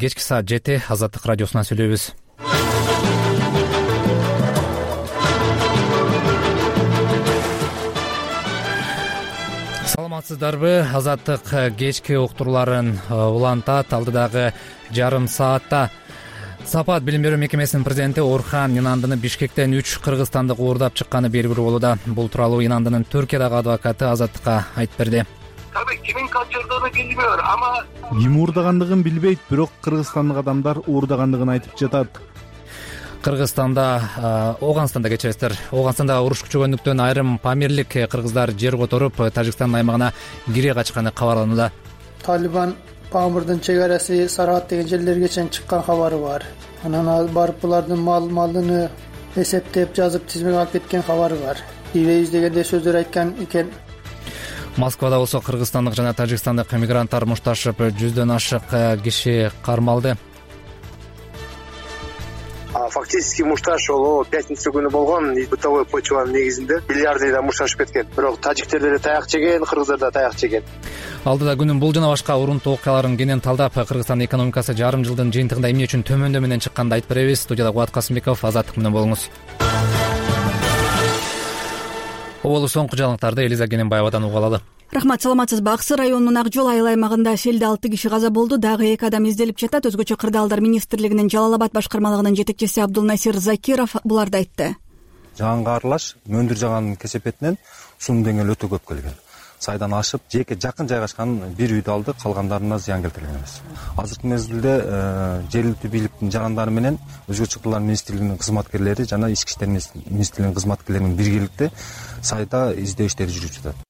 Кечки саат 7 Азаттык радиосунан сүйлөйбүз. Саламатсыздарбы? Азаттык кечки уктурууларын улантат. Алдыдагы жарым саатта Сапат билим берүү мекемесинин президенти Орхан Инандыны Бишкектен 3 кыргызстандык уурдап чыкканы белгилүү болууда. Бул тууралуу Инандынын Түркиядагы адвокаты Азаттыкка айтып берди. Кимин качырдığını билбейт, ама ким уурдагандыгын билбейт, бирок кыргызстандык адамдар уурдагандыгын айтып жатат. Ооганстанда кечиресиздер. Ооганстанда уруш күчөгөндүктөн айрым памирлик кыргыздар жер которуп, Тажикстан аймагына кире качканы кабарланууда. Талибан Памырдын чек арасы Сарат деген жерлерге чейин чыккан кабары бар. Анан барып булардын малыны эсептеп, жазып, тизмеге алып кеткен кабары бар. Ийбейбиз дегенде сөздөр айткан экен. Москвада болсо кыргызстандык жана тажикстандык мигранттар мушташып 100дөн ашык киши кармалды. Фактически мушташ ол пятница күнү болгон, бытовой почванын негизинде миллиардыйдан мушташып кеткен. Бирок тажиктер деле таяк жеген, кыргыздар да таяк жеген. Алдыда күнүн бул жана башка урунтуу окуяларын кенен талдап, Кыргызстандын экономикасы жарым жылдын жыйынтыгында эмне үчүн төмөндө менен чыкканын айтып беребиз. Студияда Кубат Касымбеков, Азаттык менен болуңуз. Оболу соңку жаңылыктарды Элиза Кененбаевадан угуп алалы. Рахмат, саламатсызбы? Аксы районунун Ак жол айыл аймагында селде 6 киши каза болду, дагы 2 адам изделип жатат. Өзгөчө Кырдаалдар министрлигинин Жалал Абад башкармалыгынын жетекчиси Абдулнасир Закиров буларды айтты. Жаганга аралаш мөндүр жаганын кесепетинен сунун деңгээли өтө көп келген. Сайдан ашып, жеке жакын жайгашкан бир үйдү алды, калгандарына зыян келтирген эмес. Азыркы мезгилде жергиликтүү бийликтин жагандары менен Өзгөчө Кырдаалдар министрлигинин кызматкерлери жана Ички иштер министрлигинин кызматкерлеринин биргеликте сайда издөө иштери жүрүп жатат.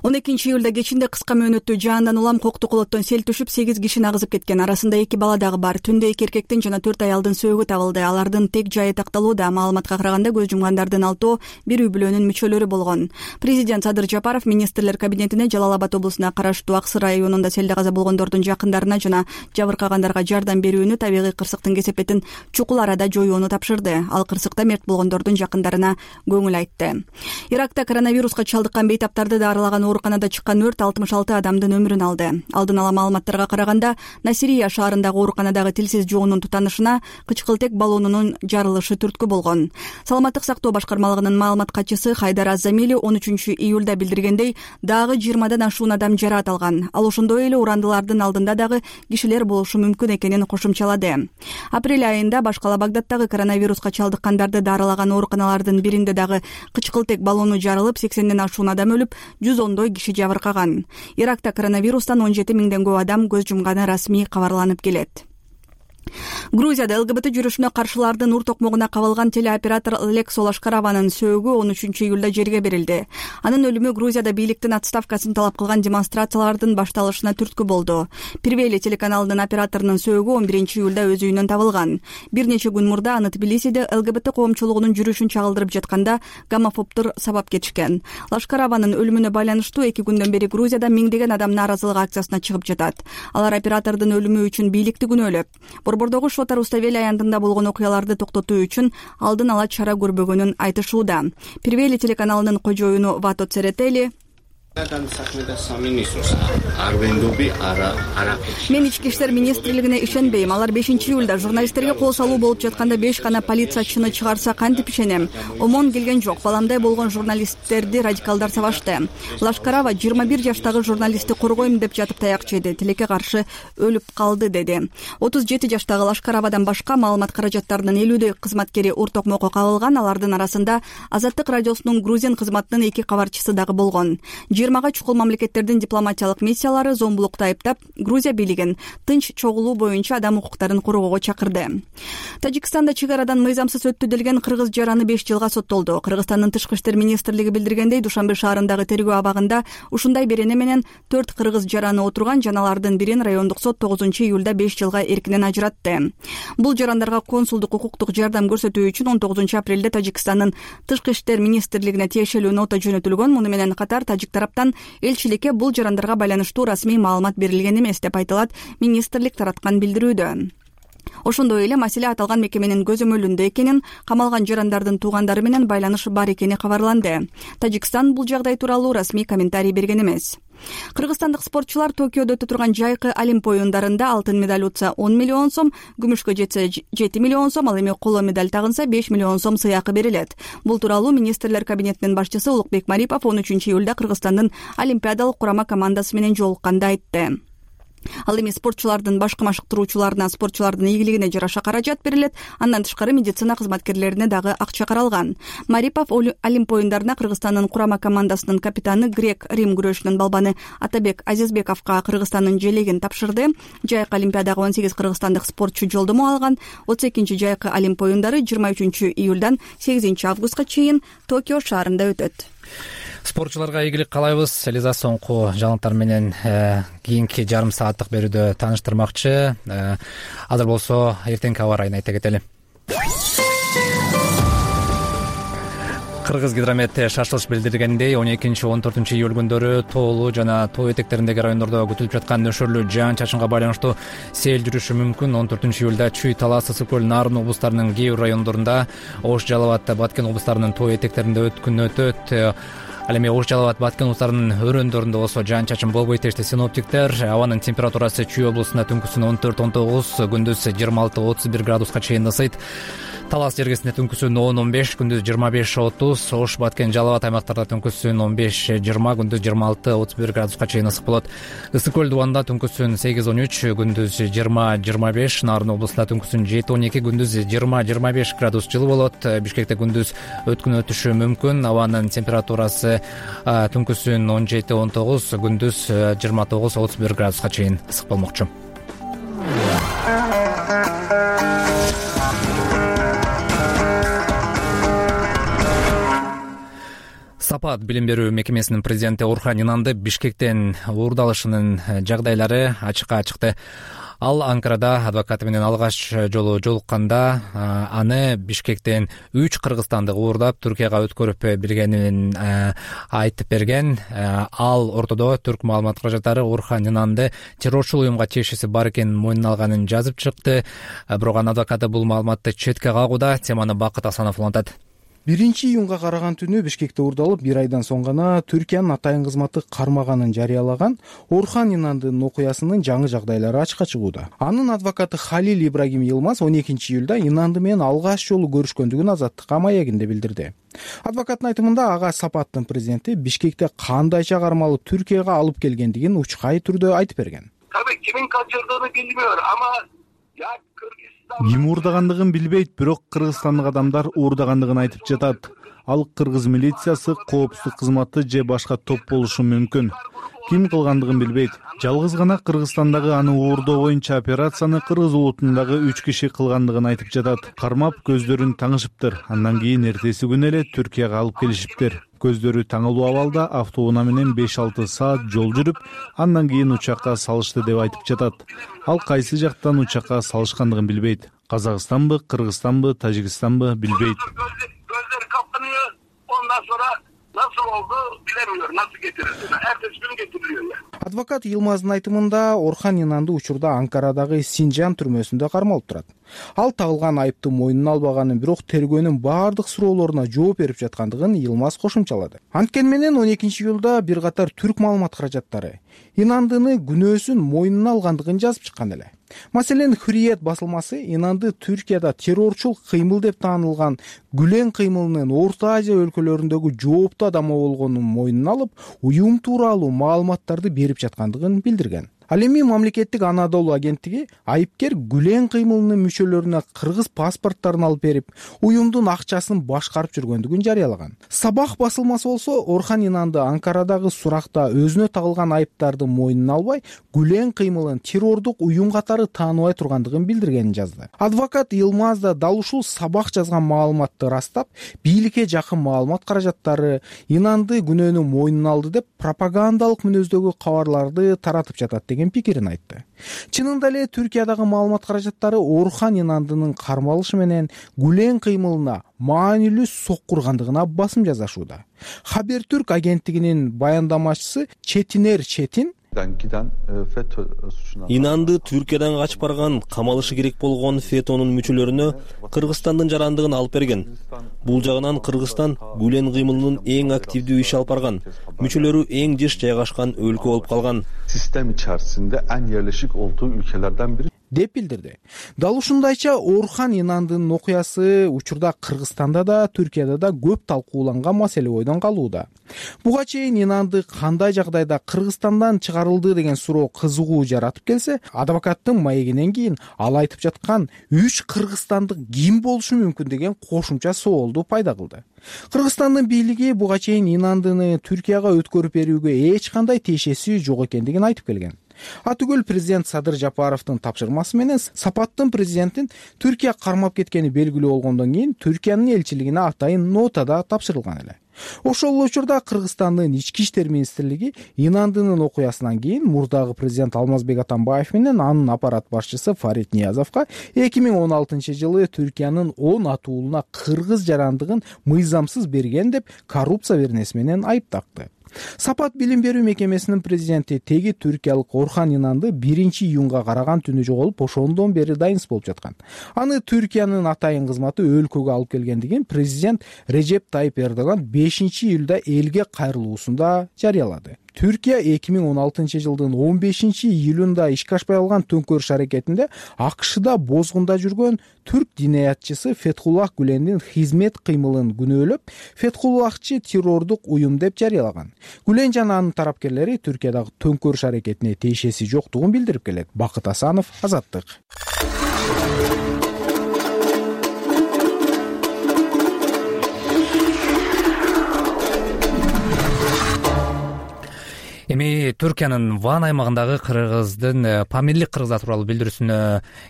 12 июлда кечинде кыска мөөнөттүү жаандан улам кокту колоттон сел түшүп 8 кишини агызып кеткен. Арасында 2 бала дагы бар. Түндө 2 эркектин жана 4 аялдын сөөгү табылды. Алардын тек жайы такталууда. Маалыматка караганда көз жумгандардын 6 бир үй бүлөнүн мүчөлөрү болгон. Президент Садыр Жапаров министрлер кабинетине Жалал Абад облусуна караштуу Аксы районунда селде каза болгондордун жакындарына жана жабыркагандарга жардам берүүнү, табигый кырсыктын кесепетин чукул арада жоюуну тапшырды. Ал кырсыкта мерт болгондордун жакындарына көңүл айтты. Иракта коронавируска чалдыккан бейтаптарды дарылаган ооруканада чыккан өрт 66 адамдын өмүрүн алды. Алдын ала маалыматтарга караганда, Насирия шаарындагы ооруканадагы тилсиз жоонун тутанышына кычкылтек баллонунун жарылышы түрткү болгон. Саламаттык сактоо башкармалыгынын маалымат катчысы Хайдар Аззамили 13 июлда билдиргендей, дагы 20дан ашуун адам жараат алган. Ал ошондой эле урандылардын алдында дагы кишилер болушу мүмкүн экенин кошумчалады. Апрель айында башкала Багдадтагы коронавируска чалдыккандарды дарылаган ооруканалардын биринде дагы кычкылтек баллону жарылып, 80ден ашуун адам өлүп, 110 киши жабыркаган. Иракта коронавирустан 17 миңден көп адам көз жумганы расмий кабарланып келет. Грузияда ЛГБТ жүрүшүнө каршылардын ур токмогуна кабылган телеоператор Лексо Лашкарованын сөөгү 13 июлда жерге берилди. Анын өлүмү Грузияда бийликтин отставкасын талап кылган демонстрациялардын башталышына түрткү болду. Первели телеканалынын операторунун сөөгү 11 июлда өз үйүнөн табылган. Бир нече күн мурда аны Тбилисиде ЛГБТ коомчулугунун жүрүшүн чагылдырып жатканда гомофобдор сабап кетишкен. Лашкарованын өлүмүнө байланыштуу 2 күндөн бери Грузияда миңдеген адам нааразылык акциясына чыгып жатат. Алар оператордун өлүмү үчүн бийликти күнөөлөп, Борбордогу Шотар Руставели аянтында болгон окуяларды токтотуу үчүн алдын ала чара көрбөгөнүн айтышууда. Первели телеканалынын кожоюну Вато Церетели Мен ички иштер министрлигине ишенбейм. Алар 5 июлда журналисттерге кол салуу болуп жатканда 5 гана полициячыны чыгарса кантип ишенем? Омон келген жок. Баламдай болгон журналисттерди радикалдар сабашты. Лашкарова 21 жаштагы журналистти коргойм деп жатып таяк жеди. Тилекке каршы өлүп калды деди. 37 жаштагы Лашкаровадан башка маалымат каражаттарынын 50дөй кызматкери ур токмокко кабылган. Алардын арасында Азаттык радиосунун Грузин кызматынын 2 кабарчысы дагы болгон. 20 чукул мамлекеттердин дипломатиялык миссиялары зомбулукту айыптап, Грузия бийлигин тынч чогулуу боюнча адам укуктарын коргоого чакырды. Тажикстанда чек арадан мыйзамсыз өттү делген кыргыз жараны 5 жылга соттолду. Кыргызстандын тышкы иштер министрлиги билдиргендей, Душанбе шаарындагы тергөө абагында ушундай берене менен 4 кыргыз жараны отурган, жаналардын бирин райондук сот 9 июлда 5 жылга эркинен ажыратты. Бул жарандарга консулдук укуктук жардам көрсөтүү үчүн 19 апрелде Тажикстандын тышкы иштер министрлигине тиешелүү нота жөнөтүлгөн. Муну менен катар тажик тараптан элчиликке бул жарандарга байланыштуу расмий маалымат берилген эмес деп айтылат министрлик тараткан билдирүүдө. Ошондой эле маселе аталган мекеменин көзөмөлүндө экенин, камалган жарандардын туугандары менен байланыш бар экени кабарланды. Тажикстан бул жагдай тууралуу расмий комментарий берген эмес. Кыргызстандык спортчулар Токиодо өтө турган жайкы Олимп оюндарында алтын медаль утса 10 миллион сом, күмүшкө жетсе 7 миллион сом, ал эми коло медаль тагынса 5 миллион сом сыйакы берилет. Бул тууралуу министрлер кабинетинин башчысы Улукбек Марипов 13-июлда Кыргызстандын олимпиадалык курама командасы менен жолукканда айтты. Ал эми спортчулардын башкы машыктыруучуларына спортчулардын ийгилигине жараша каражат берилет, андан тышкары медицина кызматкерлерине дагы акча каралган. Марипов Олимп оюндарына Кыргызстандын курама командасынын капитаны грек-рим күрөшүнүн балбаны Атабек Азизбековго Кыргызстандын желегин тапшырды. Жайкы олимпиадага 18 кыргызстандык спортчу жолдомо алган. 32 жайкы Олимп оюндары 23-июлдан 8-августка чейин Токио шаарында өтөт. Спортчуларга ийгилик каалайбыз. Элиза соңку жаңылыктар менен кийинки жарым сааттык берүүдө тааныштырмакчы. Азыр болсо эртеңки аба ырайын айта кетели. Кыргызгидромет шашылыш билдиргендей 12-14 июль күндөрү тоолуу жана тоо этектериндеги райондордо күтүлүп жаткан нөшөрлүү жаан-чачынга байланыштуу сел жүрүшү мүмкүн. 14 июлда Чүй, Талас, Ысык көл, Нарын облустарынын кээ бир райондорунда, Ош, Жалал абад, Баткен облустарынын тоо этектеринде күн өтөт. Ал эми Ош, Жалал абад, Баткен облустарынын өрөөндөрүндө болсо жаан-чачын болбойт дешти синоптиктер. Абанын температурасы Чүй облусунда түнкүсүн 14-19, күндүз 26-31 градуска чейин ысыйт. Талас жергесинде түнкүсүн 10-15, күндүз 25-30, Ош, Баткен, Жалал абад аймактарда түнкүсүн 15-20, күндүз 26-31 градуска чейин ысык болот. Ысык көл дубанда түнкүсүн 8-13, күндүз 20-25, Нарын облусунда түнкүсүн 7-12, күндүз 20-25 градус жылы болот. Бишкекте күндүз өткүн өтүшү мүмкүн. Абанын температурасы түнкүсүн 17-19, күндүз 29-31 градуска чейин ысык болмокчу. Сапат билим берүү мекемесинин президенти Орхан Инанды Бишкектен уурдалышынын жагдайлары ачыкка чыкты. Ал Анкарада адвокаты менен алгач жолу жолукканда аны Бишкектен 3 кыргызстандык уурдап Түркияга өткөрүп бергенин айтып берген. Ал ортодо түрк маалымат каражаттары Орхан Инанды террорчул уюмга тиешеси бар экенин мойнуна алганын жазып чыкты. Бирок анын адвокаты бул маалыматты четке кагууда. Теманы Бакыт Асанов улантат. 1-июнга караган түнү Бишкекте уурдалып, 1 айдан соң гана Түркиянын атайын кызматы кармаганын жарыялаган Орхан Инандын окуясынын жаңы жагдайлары ачыкка чыгууда. Анын адвокаты Халил Ибрагим Йылмаз 12-июлда Инанды менен алгач жолу көрүшкөндүгүн Азаттыкка маегинде билдирди. Адвокаттын айтымында ага Сапаттын президенти Бишкекте кандайча кармалып Түркияга алып келгендигин учкай түрдө айтып берген. Кимин качырдığını bilmiyor ama ya Ким уурдагандыгын билбейт, бирок кыргызстандык адамдар уурдагандыгын айтып жатат. Ал кыргыз милициясы, коопсуздук кызматы же башка топ болушу мүмкүн. Ким кылгандыгын билбейт. Жалгыз гана Кыргызстандагы аны уурдоо боюнча операцияны кыргыз улутундагы 3 киши кылгандыгын айтып жатат. Кармап көздөрүн таңышыптыр. Андан кийин эртеси күнү эле Түркияга алып келишиптир. Көздөрү таңылуу абалда автоунаа менен 5-6 саат жол жүрүп, андан кийин учакка салышты деп айтып жатат. Ал кайсы жактан учакка салышкандыгын билбейт. Казакстанбы, Кыргызстанбы, Тажикстанбы билбейт. Gözleri kapanıyor. Ondan sonra nasıl oldu bilemiyor. Nasıl getirildi? Ertesi gün getiriliyor ya. Адвокат Йылмаздын айтымында Орхан Инанды учурда Анкарадагы Синжан түрмөсүндө кармалып турат. Ал тагылган айыпты мойнуна албаганын, бирок тергөөнүн баардык суроолоруна жооп берип жаткандыгын Йылмаз кошумчалады. Анткени менен 12-июлда бир катар түрк маалымат каражаттары Инандыны күнөөсүн мойнуна алгандыгын жазып чыккан эле. Маселен, Hürriyet басылмасы Инанды Түркияда террорчул кыймыл деп таанылган Гүлен кыймылынын Орто Азия өлкөлөрүндөгү жооптуу адамы болгонун мойнуна алып, уюм тууралуу маалыматтарды берип жаткандыгын билдирген. Ал эми мамлекеттик Анадолу агенттиги айыпкер Гүлен кыймылынын мүчөлөрүнө кыргыз паспорттарын алып берип, уюмдун акчасын башкарып жүргөндүгүн жарыялаган. Сабах басылмасы болсо Орхан Инанды Анкарадагы суракта өзүнө тагылган айыптарды мойнуна албай, Гүлен кыймылын террордук уюм катары тааныбай тургандыгын билдиргенин жазды. Адвокат Йылмаз да дал ушул Сабах жазган маалыматты ырастап, бийликке жакын маалымат каражаттары Инанды күнөөнү мойнуна алды деп пропагандалык мүнөздөгү кабарларды таратып жатат деген пикирин айтты. Чынында эле Түркиядагы маалымат каражаттары Орхан Инандынын кармалышы менен Гүлен кыймылына маанилүү соккургандыгына басым жасашууда. Хабертүрк агенттигинин баяндамачысы Четинер Четин Инанды Түркиядан качып барган, камалышы керек болгон ФЭТОнун мүчөлөрүнө Кыргызстандын жарандыгын алып берген. Бул жагынан Кыргызстан Гүлен кыймылынын эң активдүү иш алып барган, мүчөлөрү эң жыш жайгашкан өлкө болуп калган. Sistem içerisinde en yerleşik olduğu ülkelerden biri. деп билдирди. Дал ушундайча Орхан Инандынын окуясы учурда Кыргызстанда да, Түркияда да көп талкууланган маселе бойдон калууда. Буга чейин Инанды кандай жагдайда Кыргызстандан чыгарылды деген суроо кызыгуу жаратып келсе, адвокаттын маегинен кийин ал айтып жаткан 3 кыргызстандык ким болушу мүмкүн деген кошумча соолду пайда кылды. Кыргызстандын бийлиги буга чейин Инандыны Түркияга өткөрүп берүүгө эч кандай тиешеси жок экендигин айтып келген. Атүгүл президент Садыр Жапаровдун тапшырмасы менен Сапаттын президенттин Түркия кармап кеткени белгилүү болгондон кийин Түркиянын элчилигине атайын нотада тапшырылган эле. Ошол учурда Кыргызстандын ички иштер министрлиги Инандынын окуясынан кийин мурдагы президент Алмазбек Атамбаев менен анын аппарат башчысы Фарид Ниязовго 2016-жылы Түркиянын 10 атуулуна кыргыз жарандыгын мыйзамсыз берген деп коррупция беренеси менен айыптакты. Сапат билим берүү мекемесинин президенти теги түркиялык Орхан Инанды 1-июнга караган түнү жоголуп, ошондон бери дайынсыз болуп жаткан. Аны Түркиянын атайын кызматы өлкөгө алып келгендигин президент Режеп Тайып Эрдоган 5-июлда элге кайрылуусунда жарыялады. Түркия 2016-жылдын 15-июлунда ишке ашпай калган төңкөрүш аракетинде АКШда бозгунда жүргөн түрк динаятчысы Фетхуллах Гүлендин хизмет кыймылын күнөөлөп, Фетхуллахчы террордук уюм деп жарыялаган. Гүлен жана анын тарапкерлери Түркиядагы төңкөрүш аракетине тиешеси жоктугун билдирип келет. Бакыт Асанов, Азаттык. Эми Түркиянын Ван аймагындагы кыргыздын Памирлик кыргыздар тууралуу билдирүүсүнө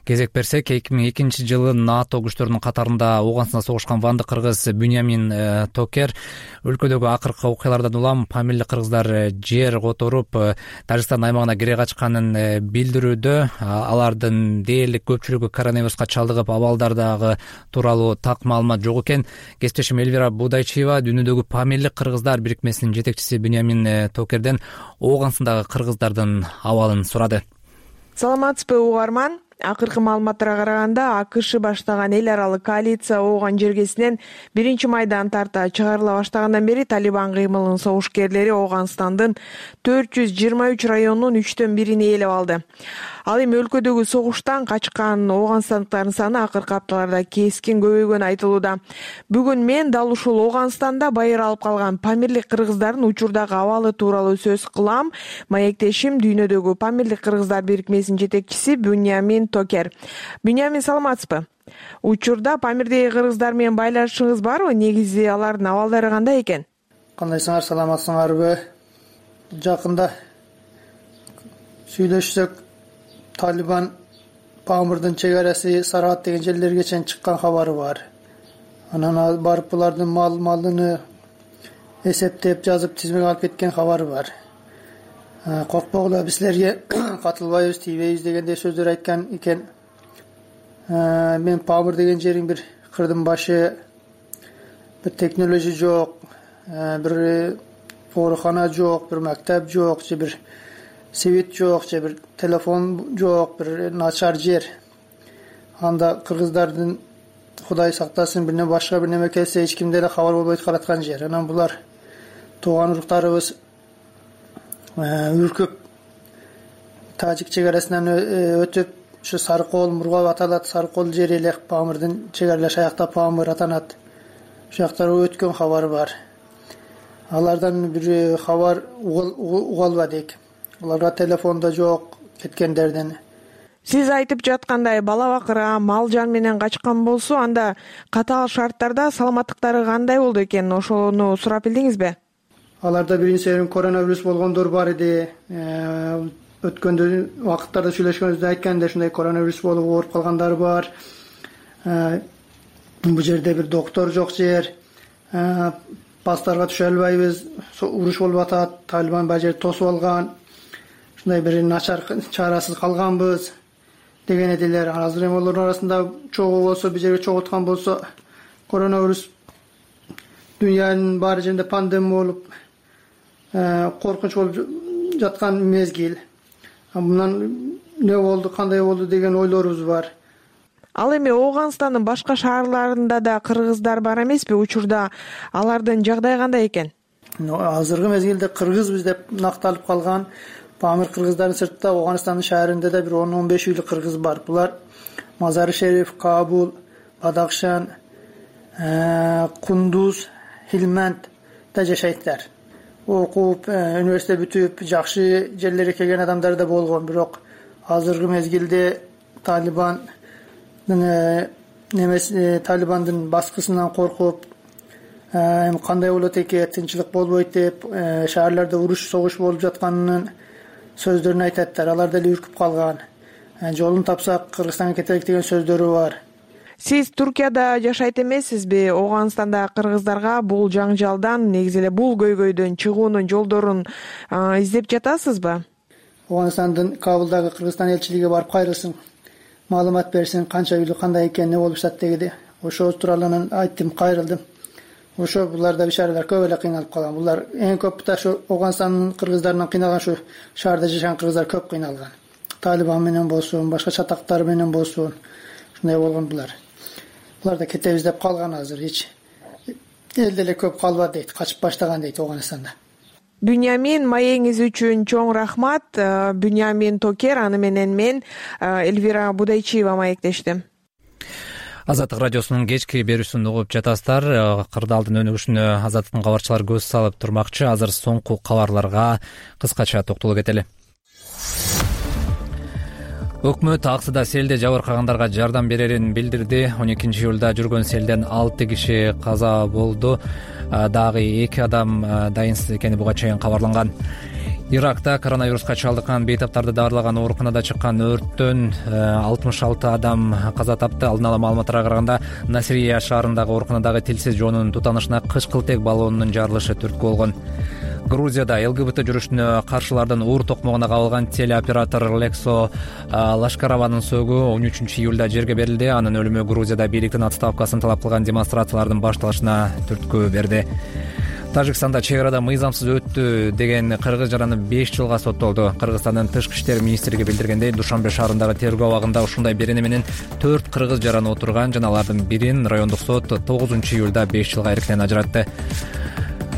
кезек берсек, 2002-жылы НАТО күчтөрүнүн катарында Ооганстанда согушкан вандык кыргыз Буньямин Токер өлкөдөгү акыркы окуялардан улам Памирлик кыргыздар жер которуп Тажикстан аймагына кире качканын билдирүүдө. Алардын дээрлик көпчүлүгү коронавируска чалдыгып, абалдардагы тууралуу так маалымат жок экен. Кесиптешим Элвира Будайчиева дүйнөдөгү Памирлик кыргыздар бирикмесинин жетекчиси Буньямин Токерден Ооганстандагы кыргыздардын абалын сурады. Саламатсызбы угарман? Акыркы маалыматтарга караганда АКШ баштаган эл аралык коалиция Ооган жергесинен 1-майдан тарта чыгарыла баштагандан бери Талибан кыймылынын согушкерлери Ооганстандын 423 районунун 3/1 ээлеп алды. Ал эми өлкөдөгү согуштан качкан ооганстандыктардын саны акыркы апталарда кескин көбөйгөнү айтылууда. Бүгүн мен дал ушул Ооганстанда байыр алып калган Памирлик кыргыздардын учурдагы абалы тууралуу сөз кылам. Маектешим дүйнөдөгү Памирлик кыргыздар бирикмесинин жетекчиси Буньямин Токер. Буньямин, саламатсызбы? Учурда Памирдеги кыргыздар менен байланышыңыз барбы? Негизи алардын абалдары кандай экен? Кандайсыңар, саламатсыңарбы? Жакында сүйлөшсөк, Талибан Памирдин чек-арасы Сарат деген жерлерге чейин чыккан кабары бар. Анан барып булардын малыны эсептеп, жазып, тизмеге алып кеткен кабары бар. Коркпогула, биз силерге катылбайбыз, тийбейбиз дегендей сөздөр айткан экен. Мен Памир деген жериң бир кырдын башы, бир технология жок, бир оорукана жок, бир мектеп жок, же бир свет жок, же бир телефон жок, бир начар жер. Анда кыргыздардын Кудай сактасын бир башка бир неме келсе эч кимде эле кабар болбой калаткан жер. Анан булар тууган уруктарыбыз үркүп Тажик чек-арасынан өтүп, ушу Сарыкол, Мургап аталат, Сарыкол жери эле Памирдин чек-аралаш аякта Памир атанат. Ошол жактан өткөн кабары бар. Алардан бир кабар угалбадык. Аларга телефон да жок кеткендерден. Сиз айтып жаткандай бала бакырга, мал жан менен качкан болсо, анда катаал шарттарда саламаттыктары кандай болду экен? Ошону сурап билдиңизби? Аларда биринчи коронавирус болгондор бар иди. Өткөндө убакыттарда сүйлөшкөнүздө айтканда ушундай коронавирус болуп ооруп калгандар бар. Бул жерде бир доктор жок жер. Пастарга түшө албайбыз, уруш болуп атат, Талибан бул жерди тосуп алган. Ушундай бир начар чарасыз калганбыз деген эдилер. Азыр эми олордун арасында чогуу болсо, бул жерге чогулткан болсо, коронавирус дүйнөнүн баары жеринде пандемия болуп, коркунуч болуп жаткан мезгил. Мындан не болду, кандай болду деген ойлорубуз бар. Ал эми Ооганстандын башка шаарларында да кыргыздар бар эмеспи? Учурда алардын жагдайы кандай экен? Азыркы мезгилде кыргызбыз деп накталып калган Памир кыргыздардын сыртта Ооганстандын шаарында да бир 10-15 үйлүк кыргыз бар. Булар Мазары Шериф, Кабул, Бадакшан, Кундуз, Хилмандда жашайттар. Окуп, университет бүтүп, жакшы жерлерге келген адамдар да болгон, бирок азыркы мезгилде Талибандын баскысынан коркуп, кандай болот экен, тынчылык болбойт деп, шаарларда уруш, согуш болуп жатканын сөздөрүн айтаттар. Алар деле үркүп калган. Жолун тапсак Кыргызстанга кетелик деген сөздөрү бар. Сиз Туркияда жашайт эмессизби? Ооганстанда кыргыздарга бул жаңжалдан, негизи эле бул көйгөйдөн чыгуунун жолдорун издеп жатасызбы? Ооганстандын Кабулдагы Кыргызстан элчилиги барып кайрылсын, маалымат берсин, канча үйлү кандай экен, не болуп жатат дегиде. Ошо тууралуу айттым, кайрылдым. Ошо буларда бишаралар көп эле кыйналып калган. Булар эң көп ошо Ооганстандын кыргыздарынан кыйналган, ошо шаарда жашаган кыргыздар көп кыйналган. Талибан менен болсун, башка чатактар менен болсун, ушундай болгон булар. Булар да кетебиз деп калган азыр. Эл деле көп калбады дейт, качып баштаган дейт Ооганстанда. Бюнямин, маегиңиз үчүн чоң рахмат. Бюнямин Токер, аны менен мен Эльвира Будайчиева маектештим. Азаттык радиосунун кечки берүүсүн угуп жатасыздар. Кырдаалдын өнүгүшүнө Азаттыктын кабарчылары көз салып турмакчы. Азыр соңку кабарларга кыскача токтолуп кетели. Өкмөт Аксыда селде жабыркагандарга жардам берерин билдирди. 12-июлда жүргөн селден 6 киши каза болду. Дагы 2 адам дайынсыз экени буга чейин кабарланган. Иракта коронавируска чалдыккан бейтаптарды даарлаган ооруканада чыккан өрттөн 66 адам каза тапты. Алдын ала маалыматтарга караганда Насирия шаарындагы ооруканадагы тилсиз жоонун тутанышына кышкылтек баллонунун жарылышы түрткү болгон. Грузияда ЛГБТ жүрүшүнө каршылардын уур токмогуна кабылган телеоператор Лексо Лашкарованын сөөгү 13-июлда жерге берилди. Анын өлүмү Грузияда бийликтин отставкасын талап кылган демонстрациялардын башталышына түрткү берди. Тажикстанда чек арада мыйзамсыз өттү деген кыргыз жараны 5 жылга соттолду. Кыргызстандын тышкы иштер министрлиги билдиргендей, Душанбе шаарындагы тергөө абагында ушундай берене менен 4 кыргыз жараны отурган жана алардын бирин райондук сот 9-июлда 5 жылга эрктен ажыратты.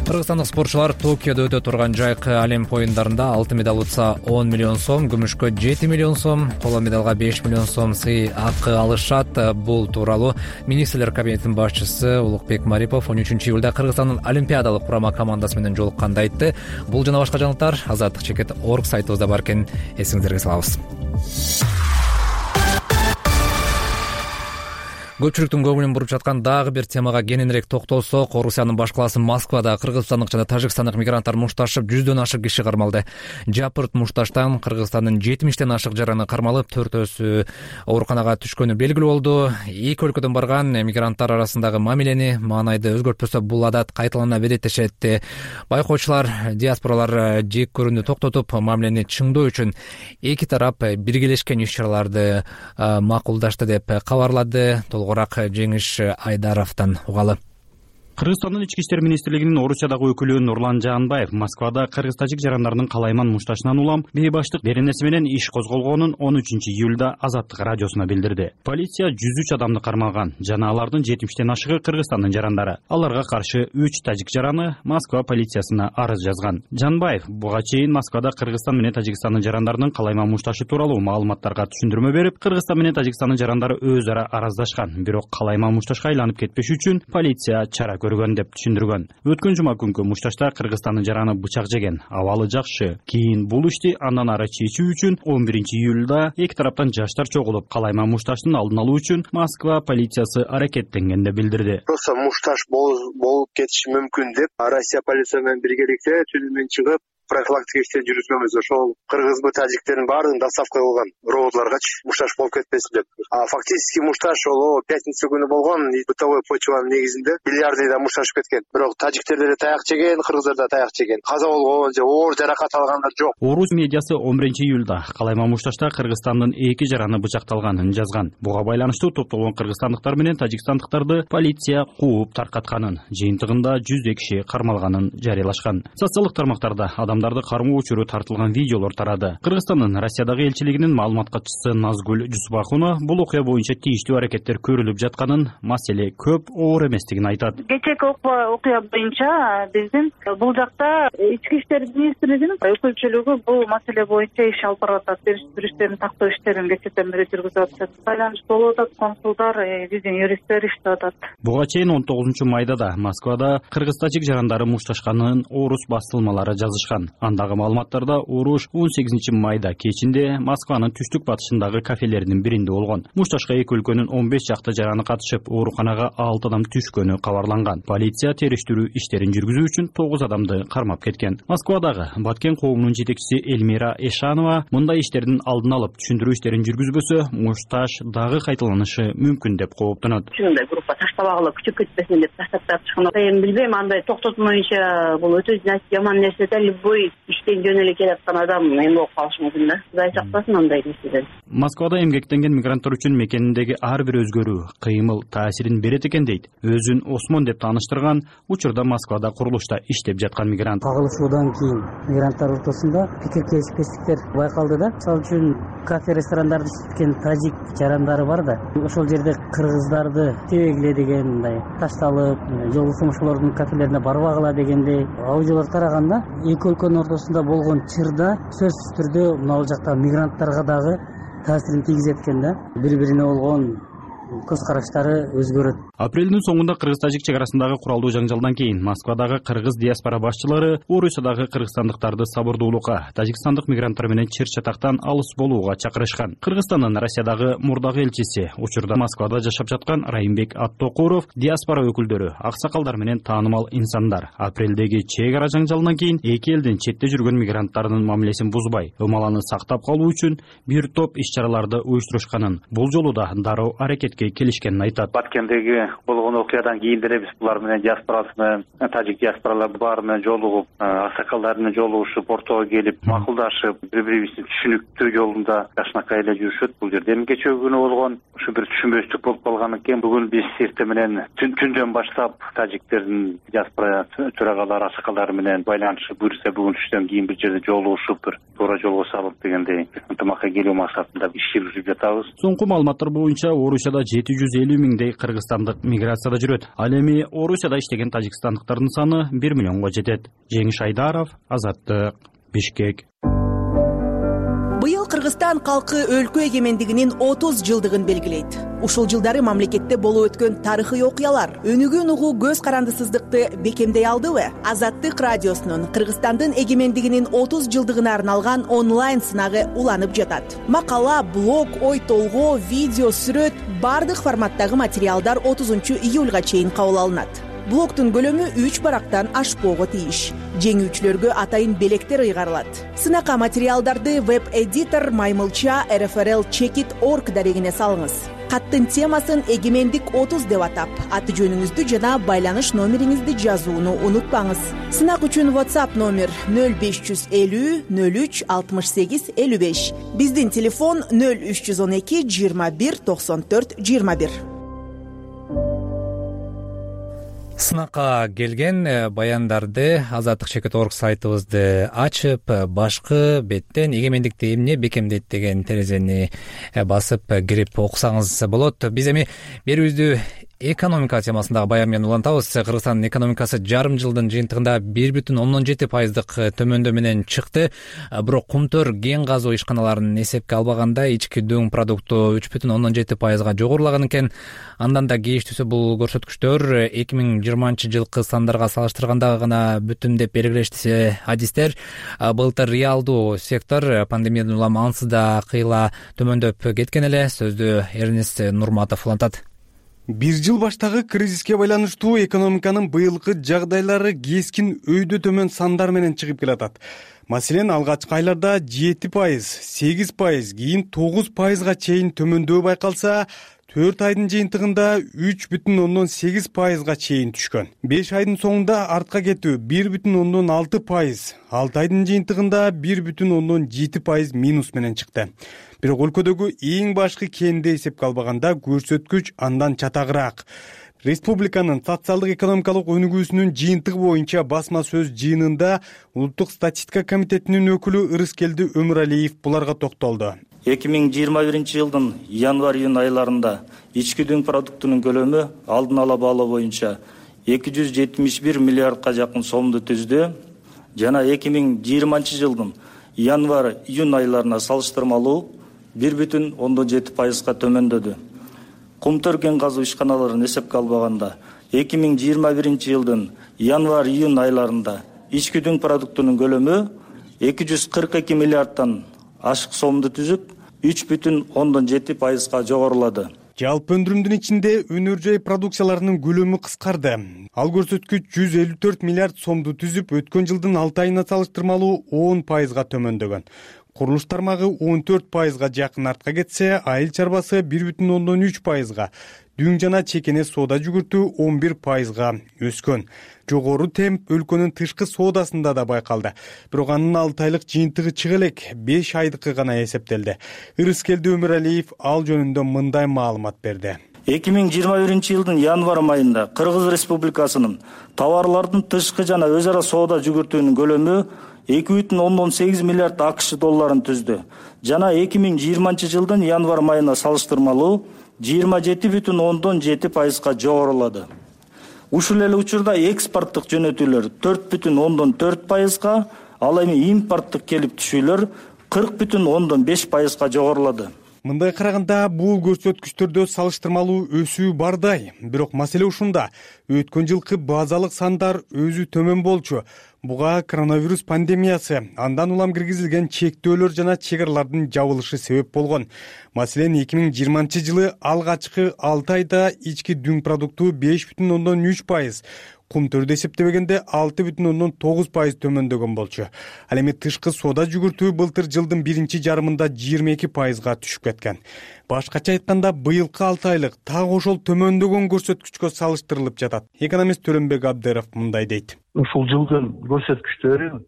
Кыргызстандык спортчулар Токиодо өтө турган жайкы Олимп оюндарында алтын медаль утса 10 миллион сом, күмүшкө 7 миллион сом, коло медалга 5 миллион сом сый акы алышат. Бул тууралуу министрлер кабинетинин башчысы Улукбек Марипов 13-июлда Кыргызстандын олимпиадалык курама командасы менен жолукканда айтты. Бул жана башка жаңылыктар azattik.org сайтыбызда бар экен, эсиңиздерге салабыз. Көпчүлүктүн көңүлүн буруп жаткан дагы бир темага кененирээк токтолсок, Орусиянын баш калаасы Москвада кыргызстандык жана тажикстандык мигранттар мушташып 100дөн ашык киши кармалды. Жапырт мушташтан Кыргызстандын 70тен ашык жараны кармалып, 4-өсү ооруканага түшкөнү белгилүү болду. Эки өлкөдөн барган мигранттар арасындагы мамилени, маанайды өзгөртпөсө бул адат кайталана берет дешет. Байкоочулар, диаспоралар жек көрүүнү токтотуп, мамилени чыңдоо үчүн эки тарап биргелешкен иш-чараларды макулдашты деп кабарлады. Толгораак Жеңиш Айдаровдон угалы. Кыргызстандын ички иштер министрлигинин Орусиядагы өкүлү Нурлан Жаанбаев Москвада кыргыз-тажик жарандарынын калайман мушташынан улам бейбаштык беренеси менен иш козголгонун 13-июлда Азаттык радиосуна билдирди. Полиция 103 адамды кармалган жана алардын 70тен ашыгы Кыргызстандын жарандары. Аларга каршы 3 тажик жараны Москва полициясына арыз жазган. Жаанбаев буга чейин Москвада Кыргызстан менен Тажикстандын жарандарынын калайман мушташы тууралуу маалыматтарга түшүндүрмө берип, Кыргызстан менен Тажикстандын жарандары өз ара араздашкан. Бирок калайман мушташка айланып кетпеш үчүн полиция чара деп түшүндүргөн. Өткөн жума күнкү мушташта Кыргызстандын жараны бычак жеген. Абалы жакшы. Кийин бул ишти андан ары чечүү үчүн 11-июлда эки тараптан жаштар чогулуп, калайман мушташтын алдын алуу үчүн Москва полициясы аракеттенгенди билдирди. Просто мушташ болуп кетиши мүмкүн деп Россия полиция менен биргеликте түнүнөн чыгып профилактика иштери жүргүзгөнбүз. Ошол кыргызбы, тажиктердин баардыгын доставка кылган роботларгачы мушташ болуп кетпесин деп. Фактически мушташ ол пятница күнү болгон, бытовой почванын негизинде миллиардыйда мушташып кеткен. Бирок тажиктер деле таяк жеген, кыргыздар да таяк жеген. Каза болгон же оор жаракат алгандар жок. Орус медиасы 11-июлда калайман мушташта Кыргызстандын эки жараны бычакталганын жазган. Буга байланыштуу топтолгон кыргызстандыктар менен тажикстандыктарды полиция кууп таркатканын, жыйынтыгында 100 киши кармалганын жарыялашкан. Социалдык тармактарда адам адамдарды кармоо учуру тартылган видеолор тарады. Кыргызстандын Россиядагы элчилигинин маалымат катчысы Назгүл Жусупахунова бул окуя боюнча тийиштүү аракеттер көрүлүп жатканын, маселе көп оор эместигин айтат. Кечээки окуя боюнча биздин бул жакта ички иштер министрлигинин өкүлчүлүгү бул маселе боюнча иш алып барып атат. Жүрүштөрүн тактоо иштерин кечээден бери жүргүзүп атышат. Байланыш болуп атат, консулдар, биздин юристтер иштеп атат. Буга чейин 19 майда да Москвада кыргыз-тажик жарандары мушташканын орус басылмалары жазышкан. Андагы маалыматтарда уруш 18 майда кечинде Москванын түштүк батышындагы кафелеринин биринде болгон. Мушташка эки өлкөнүн 15 жакты жараны катышып, ооруканага 6 адам түшкөнү кабарланган. Полиция териштирүү иштерин жүргүзүү үчүн 9 адамды кармап кеткен. Москвадагы Баткен коомунун жетекчиси Эльмира Эшанова мындай иштердин алдын алып түшүндүрүү иштерин жүргүзбөсө, мушташ дагы кайталанышы мүмкүн деп кооптонот. Ушундай группа таштабагыла күчүп кетпесин деп таштап чыккан. Эми билбейм, андай токтотмоюнча бул өтө жаман нерсе да, любой иштен жөн эле келаткан адам эме болуп калышы мүмкүн да. Кудай сактасын андай нерседен. Москвада эмгектенген мигранттар үчүн мекениндеги ар бир өзгөрүү, кыймыл таасирин берет экен дейт. Өзүн Осмон деп тааныштырган, учурда Москвада курулушта иштеп жаткан мигрант. Кагылышуудан кийин мигранттар ортосунда пикир келишпестиктер байкалды да. Мисалы үчүн кафе ресторандарды иштеткен тажик жарандары бар да. Ошол жерде кыргыздарды тебегиле деген мындай ташталып, жолдошум ошолордун кафелерине барбагыла дегендей аудиолор тараганда, эки өлкөнүн ортосунда болгон чырда сөзсүз түрдө мына бул жакта мигранттарга дагы таасирин тийгизет экен да. Бири-бирине болгон көз караштары өзгөрөт. Апрелдин соңунда кыргыз-тажик чек арасындагы куралдуу жаңжалдан кийин Москвадагы кыргыз диаспора башчылары Орусиядагы кыргызстандыктарды сабырдуулукка, тажикстандык мигранттар менен чыр чатактан алыс болууга чакырышкан. Кыргызстандын Россиядагы мурдагы элчиси, учурда Москвада жашап жаткан Райымбек Аттокуров, диаспора өкүлдөрү, аксакалдар менен таанымал инсандар апрелдеги чек ара жаңжалынан кийин эки элдин четте жүргөн мигранттарынын мамилесин бузбай, ымаланы сактап калуу үчүн бир топ иш-чараларды уюштурушканын, бул жолу да дароо аракетке келишкенин айтат. Баткендеги болгон окуядан кийин деле биз булар менен диаспорасы, тажик диаспоралар баары менен жолугуп, аксакалдар менен жолугушуп, ортого келип, макулдашып, бири-бирибиздин түшүнүктүү жолунда жакшынакай эле жүрүшөт бул жерде. Эми кечээ күнү болгон ушу бир түшүнбөстүк болуп калган экен. Бүгүн биз эртең менен түндөн баштап тажиктердин диаспора төрагалары, аксакалдары менен байланышып, буюрса бүгүн түштөн кийин бир жерде жолугушуп, бир туура жолго салып дегендей ынтымакка келүү максатында иш жүргүзүп жатабыз. Соңку маалыматтар боюнча Орусияда 750 миңдей кыргызстандык миграцияда жүрөт. Ал эми Орусияда иштеген тажикстандыктардын саны 1 миллионго жетет. Жеңиш Айдаров, Азаттык, Бишкек. Быйыл Кыргызстан калкы өлкө эгемендигинин 30 жылдыгын белгилейт. Ушул жылдары мамлекетте болуп өткөн тарыхый окуялар өнүгүүнү угуу көз карандысыздыкты бекемдей алдыбы? Азаттык радиосунун Кыргызстандын эгемендигинин 30 жылдыгына арналган онлайн сынагы уланып жатат. Макала, блог, ой толгоо, видео, сүрөт бардык форматтагы материалдар 30 июлга чейин кабыл алынат. Блогтун көлөмү 3 барактан ашпоого тийиш. Жеңүүчүлөргө атайын белектер ыйгарылат. Сынакка материалдарды веб-эдитор Маймылча rfrl-checkit.org дарегине салыңыз. Каттын темасын эгемендик 30 деп атап, аты жөнүңүздү жана байланыш номериңизди жазууну унутпаңыз. Сынак үчүн WhatsApp номер 0550 03 68 55. Биздин телефон 0312 21 94 21. Сынакка келген баяндарды Азаттык-checkit.org сайтыбызды ачып, башкы беттен эгемендикти эмне бекемдейт деген терезени басып кирип окусаңыз болот. Биз эми берүүбүздү экономика темасындагы баян менен улантабыз. Кыргызстандын экономикасы жарым жылдын жыйынтыгында 1,7% төмөндөө менен чыкты. Бирок Кумтөр кен казуу ишканаларын эсепке албаганда ички дөң продукту 3,7% жогорулаган экен. Андан да кейиштүүсү бул көрсөткүчтөр 2020 жылкы сандарга салыштырганда гана бүтүн деп белгилешти адистер. Былтыр реалдуу сектор пандемиядан улам ансыз да кыйла төмөндөп кеткен эле. Сөздү Эрнест Нурматов улантат. Бир жыл баштагы кризиске байланыштуу экономиканын быйылкы жагдайлары кескин өйдө төмөн сандар менен чыгып келатат. Маселен, алгачкы айларда 7%, 8%, кийин 9%га чейин төмөндөө байкалса, 4 айдын жыйынтыгында 3,8%га чейин түшкөн. 5 айдын соңунда артка кетүү 1,6%, 6 айдын жыйынтыгында 1,7% минус менен чыкты. Бирок өлкөдөгү эң башкы кенди эсепке албаганда көрсөткүч андан чатагыраак. республиканын социалдык экономикалык өнүгүүсүнүн жыйынтыгы боюнча басма сөз жыйынында улуттук статистика комитетинин өкүлү Ырыскелди Өмүралиев буларга токтолду. 2021 жылдын январь-июнь айларында ички дүң продуктунун көлөмү алдын ала баалоо боюнча 271 миллиардка жакын сомду түздү жана 2020 жылдын январь-июнь айларына салыштырмалуу 1,7%га төмөндөдү. Кум төркен казуу ишканаларын эсепке албаганда 2021 жылдын январь-июнь айларында ички дүң продуктунун көлөмү 242 миллиардтан ашык сомду түзүп 3,7%га жогорулады. Жалпы өндүрүмдүн ичинде өнөр жай продукцияларынын көлөмү кыскарды. Ал көрсөткүч 154 миллиард сомду түзүп, өткөн жылдын 6 айына салыштырмалуу 10%га төмөндөгөн. Курулуш тармагы 14%га жакын артка кетсе, айыл чарбасы 1,3%га, дүң жана чекене соода жүгүртүү 11%га өскөн. Жогору темп өлкөнүн тышкы соодасында да байкалды. Бирок анын 6 айлык жыйынтыгы чыга элек 5 айдыкы гана эсептелди. Ырыскелди Өмүралиев ал жөнүндө мындай маалымат берди. 2021 жылдын январь айында Кыргыз Республикасынын товарлардын тышкы жана өз ара соода жүгүртүүнүн көлөмү 2,8 миллиард АКШ долларын түздү. Жана 2020 жылдын январь айына салыштырмалуу 27,7%га жогорулады. Ушул эле учурда экспорттук жөнөтүүлөр 4,4%га, ал эми импорттук келип түшүүлөр 40,5%га жогорулады. Мындай караганда бул көрсөткүчтөрдө салыштырмалуу өсүү бардай. Бирок маселе ушунда. Өткөн жылкы базалык сандар өзү төмөн болчу. Буга коронавирус пандемиясы, андан улам киргизилген чектөөлөр жана чек-аралардын жабылышы себеп болгон. Маселен, 2020 жылы алгачкы 6 айда ички дүң продукту 5,3%, кум төрдө эсептебегенде 6,9% төмөндөгөн болчу. Ал эми тышкы соода жүгүртүү былтыр жылдын биринчи жарымында 22%га түшүп кеткен. Башкача айтканда, быйылкы 6 айлык так ошол төмөндөгөн көрсөткүчкө салыштырылып жатат. Экономист Төрөнбек Абдыров мындай дейт. Ушул жылдын көрсөткүчтөрү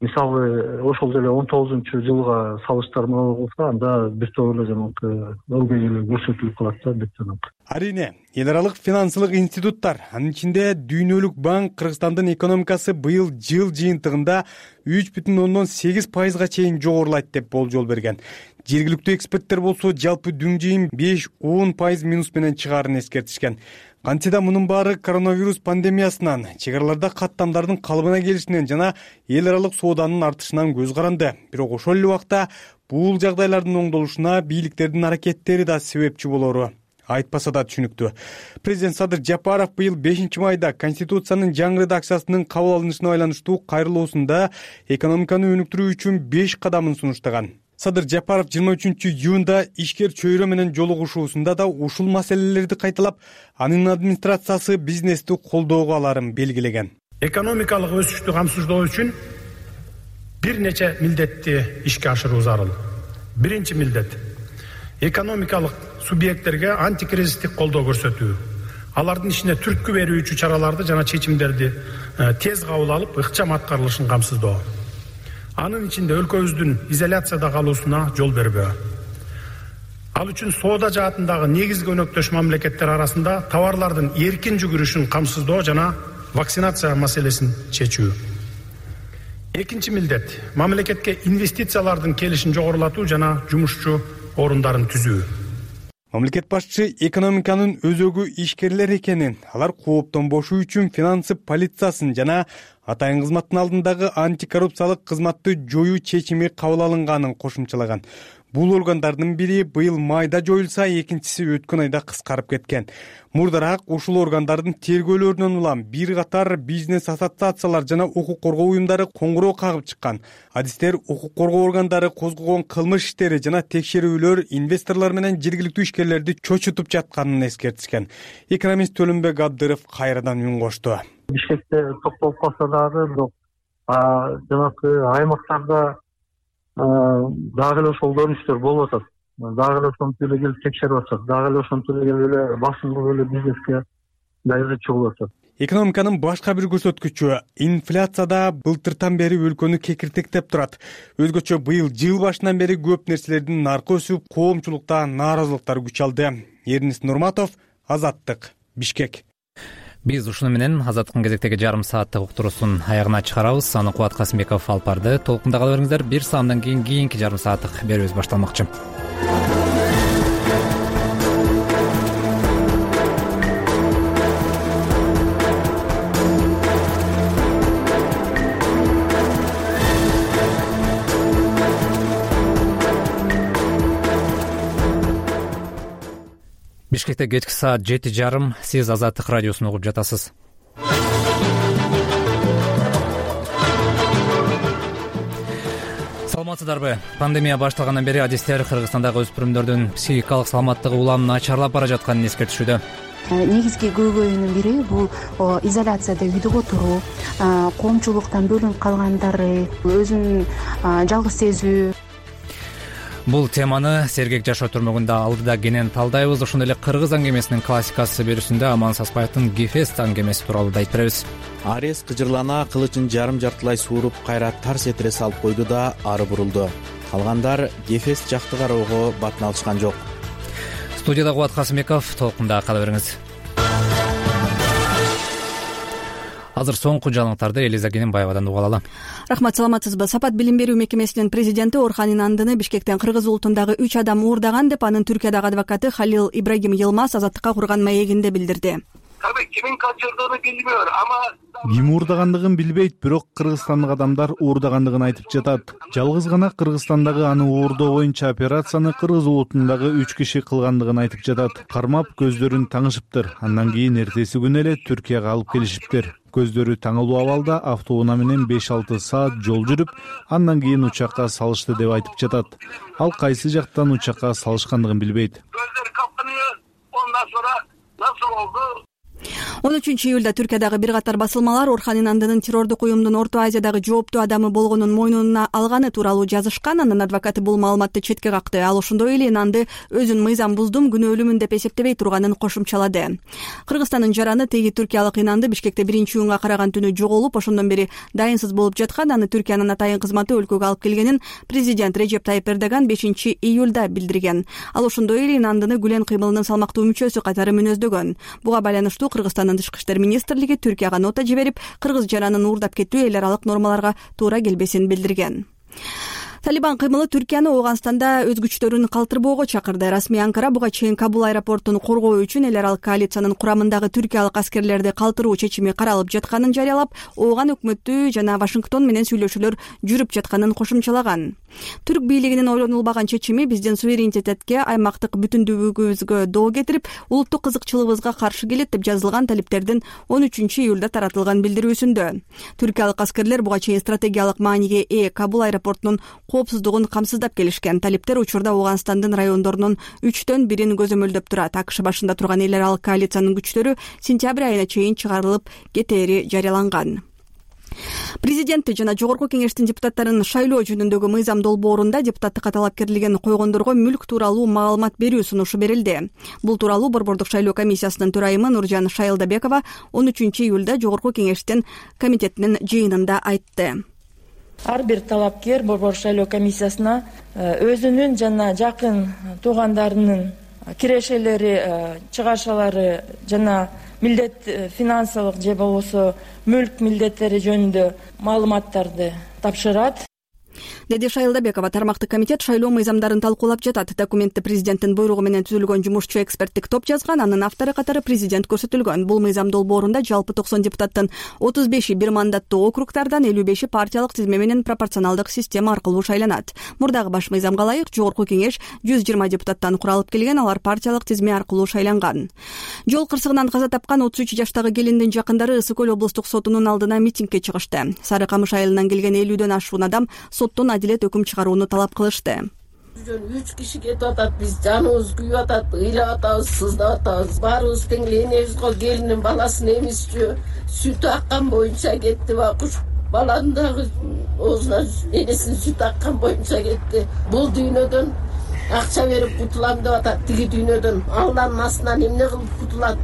мисалы ошол деле 19-жылга салыштырмалуу болсо, анда бир топ эле жанагы ылгый эле көрсөтүлүп калат да деп жанагы. Арине, эл аралык финансылык институттар, анын ичинде Дүйнөлүк банк Кыргызстандын экономикасы быйыл жыл жыйынтыгында 3,8%га чейин жогорулайт деп болжол берген. Жергиликтүү эксперттер болсо жалпы дүң жыйын 5-10% минус менен чыгаарын эскертишкен. Кантсе да мунун баары коронавирус пандемиясынан, чек-араларда каттамдардын калыбына келишинен жана эл аралык сооданын артышынан көз каранды. Бирок ошол эле убакта бул жагдайлардын оңдолушуна бийликтердин аракеттери да себепчи болору айтпаса да түшүнүктүү. Президент Садыр Жапаров быйыл 5-майда Конституциянын жаңы редакциясынын кабыл алынышына байланыштуу кайрылуусунда экономиканы өнүктүрүү үчүн 5 кадамын сунуштаган. Садыр Жапаров 23-июнда ишкер чөйрө менен жолугушуусунда да ушул маселелерди кайталап, анын администрациясы бизнести колдоого аларын белгилеген. Экономикалык өсүштү камсыздоо үчүн бир нече милдетти ишке ашыруу зарыл. Биринчи милдет экономикалык субъекттерге антикризистик колдоо көрсөтүү. Алардын ишине түрткү берүүчү чараларды жана чечимдерди тез кабыл алып, ыкчам аткарылышын камсыздоо. Анын ичинде өлкөбүздүн изоляцияда калуусуна жол бербөө. Ал үчүн соода жаатындагы негизги өнөктөш мамлекеттер арасында товарлардын эркин жүгүрүшүн камсыздоо жана вакцинация маселесин чечүү. Экинчи милдет мамлекетке инвестициялардын келишин жогорулатуу жана жумушчу орундарын түзүү. Мамлекет башчысы экономиканын өзөгү ишкерлер экенин, алар кооптонбошу үчүн финансы полициясын жана атайын кызматтын алдындагы антикоррупциялык кызматты жоюу чечими кабыл алынганын кошумчалаган. Бул органдардын бири быйыл майда жоюлса, экинчиси өткөн айда кыскарып кеткен. Мурдараак ушул органдардын тергөөлөрүнөн улам бир катар бизнес ассоциациялар жана укук коргоо уюмдары коңгуроо кагып чыккан. Адистер укук коргоо органдары козгогон кылмыш иштери жана текшерүүлөр инвесторлор менен жергиликтүү ишкерлерди чочутуп жатканын эскертишкен. Экономист Төлөнбек Абдыров кайрадан үн кошту. Бишкекте токтолуп калса дагы, бирок жанагы аймактарда дагы эле ошол көрүнүштөр болуп атат. Дагы эле ошентип эле келип текшерип атышат. Дагы эле ошентип эле басымдуу эле бизнеске даярдык болуп атат. Экономиканын башка бир көрсөткүчү инфляцияда былтыртан бери өлкөнү кекиртектеп турат. Өзгөчө быйыл жыл башынан бери көп нерселердин наркы өсүп, коомчулукта нааразылыктар күч алды. Эрнис Нурматов, Азаттык, Бишкек. Биз ушуну менен Азаттыктын кезектеги жарым сааттык уктуруусун аягына чыгарабыз. Аны Кубат Касымбеков алып барды. Толкунда кала бериңиздер. Бир саамдан кийин кийинки жарым сааттык берүүбүз башталмакчы. Бишкекте кечки саат 7:30. Сиз Азаттык радиосун угуп жатасыз. Саламатсыздарбы? Пандемия башталгандан бери адистер Кыргызстандагы өспүрүмдөрдүн психикалык саламаттыгы улам начарлап бара жатканын эскертишүүдө. Негизги көйгөйүнүн бири бул изоляцияда үйдө отуруу, коомчулуктан бөлүнүп калгандары, өзүн жалгыз сезүү. Бул теманы Сергек жашоо түрмөгүндө алдыда кенен талдайбыз. Ошондой эле кыргыз аңгемесинин классикасы берүүсүндө Аман Саспаевдин Гефест аңгемеси тууралуу да айтып беребиз. Арес кыжырлана кылычын жарым-жартылай сууруп кайра тарс этире салып койду да ары бурулду. Калгандар Гефест жакты кароого батын алышкан жок. Студияда Кубат Касымбеков, толкунда кала бериңиз. Азыр соңку жаңылыктарды Элиза Кененбаевадан угуп алалы. Рахмат, саламатсызбы? Сапат билим берүү мекемесинин президенти Орхан Инандыны Бишкектен кыргыз улутундагы 3 адам уурдаган деп анын Түркиядагы адвокаты Халил Ибрагим Йылмаз Азаттыкка курган маегинде билдирди. Кимин качырдыгын билбейм, Ким уурдагандыгын билбейт, бирок кыргызстандык адамдар уурдагандыгын айтып жатат. Жалгыз гана Кыргызстандагы аны уурдоо боюнча операцияны кыргыз улутундагы 3 киши кылгандыгын айтып жатат. Кармап көздөрүн таңышыптыр. Андан кийин эртеси күнү эле Түркияга алып келишиптир. Көздөрү таңылуу абалда автоунаа менен 5-6 саат жол жүрүп, андан кийин учакка салышты деп айтып жатат. Ал кайсы жактан учакка салышкандыгын билбейт. 13 июлда Түркиядагы бир катар басылмалар Орхан Инандынын террордук уюмдун Орто Азиядагы жооптуу адамы болгонун мойнуна алганы тууралуу жазышкан. Анын адвокаты бул маалыматты четке какты. Ал ошондой эле Инанды өзүн мыйзам буздум, күнөөлүүмүн деп эсептебей турганын кошумчалады. Кыргызстандын жараны теги түркиялык Инанды Бишкекте 1-июнга караган түнү жоголуп, ошондон бери дайынсыз болуп жаткан. Аны Түркиянын атайын кызматы өлкөгө алып келгенин президент Режеп Тайип Эрдоган 5 июлда билдирген. Ал ошондой эле Инандыны Гүлен кыймылынын салмактуу мүчөсү катары мүнөздөгөн. Буга байланыштуу Кыргызстандын Тышкы иштер министрлиги Түркияга нота жиберип, кыргыз жаранын уурдап кетүү эл аралык нормаларга туура келбесин билдирген. Талибан кыймылы Түркияны Ооганстанда өз күчтөрүн калтырбоого чакырды. Расмий Анкара буга чейин Кабул аэропортун коргоо үчүн эл аралык коалициянын курамындагы түркиялык аскерлерди калтыруу чечими каралып жатканын жарыялап, Ооган өкмөтү жана Вашингтон менен сүйлөшүүлөр жүрүп жатканын кошумчалаган. Түрк бийлигинин ойлонулбаган чечими биздин суверенитетке, аймактык бүтүндүүлүгүбүзгө доо кетирип, улуттук кызыкчылыгыбызга каршы келет деп жазылган талиптердин 13 июлда таратылган билдирүүсүндө. Түркиялык аскерлер буга чейин стратегиялык мааниге ээ Кабул аэропортунун коопсуздугун камсыздап келишкен. Талиптер учурда Ооганстандын райондорунун 3төн бирин көзөмөлдөп турат. АКШ башында турган эл аралык коалициянын күчтөрү сентябрь айына чейин чыгарылып кетери жарыяланган. Президенти жана Жогорку кеңештин депутаттарын шайлоо жөнүндөгү мыйзам долбоорунда депутаттыкка талапкерлигин койгондорго мүлк тууралуу маалымат берүү сунушу берилди. Бул тууралуу Борбордук шайлоо комиссиясынын төрайымы Нуржан Шайылдабекова 13 июлда Жогорку кеңештин комитетинин жыйынында айтты. Ар бир талапкер Борбор шайлоо комиссиясына өзүнүн жана жакын туугандарынын кирешелери, чыгашалары жана милдет финансылык же болбосо мүлк милдеттери жөнүндө маалыматтарды тапшырат, деди Шайылдабекова. Тармактык комитет шайлоо мыйзамдарын талкуулап жатат. Документти президенттин буйругу менен түзүлгөн жумушчу эксперттик топ жазган. Анын автору катары президент көрсөтүлгөн. Бул мыйзам долбоорунда жалпы 90 депутаттын 35 бир мандаттуу округдардан, 55 партиялык тизме менен пропорционалдык система аркылуу шайланат. Мурдагы баш мыйзамга ылайык Жогорку кеңеш 120 депутаттан куралып келген, алар партиялык тизме аркылуу шайланган. Жол кырсыгынан каза тапкан 33 жаштагы келиндин жакындары Ысык Көл облустук сотунун алдына митингге чыгышты. Сары Камыш айылынан келген 50дөн ашуун адам соттон адилет өкүм чыгарууну талап кылышты. 3 киши кетип атат, биз жаныбыз күйүп атат, ыйлап атабыз, сыздап атабыз. Баарыбыз тең энебиз го, келиндин баласын эмизчү, сүтү аккан боюнча кетти, куш баланын дагы оозуна энесинин сүтү аккан боюнча кетти. Бул дүйнөдөн акча берип кутулам деп атат, тиги дүйнөдөн Алланын астынан эмне кылып кутулат?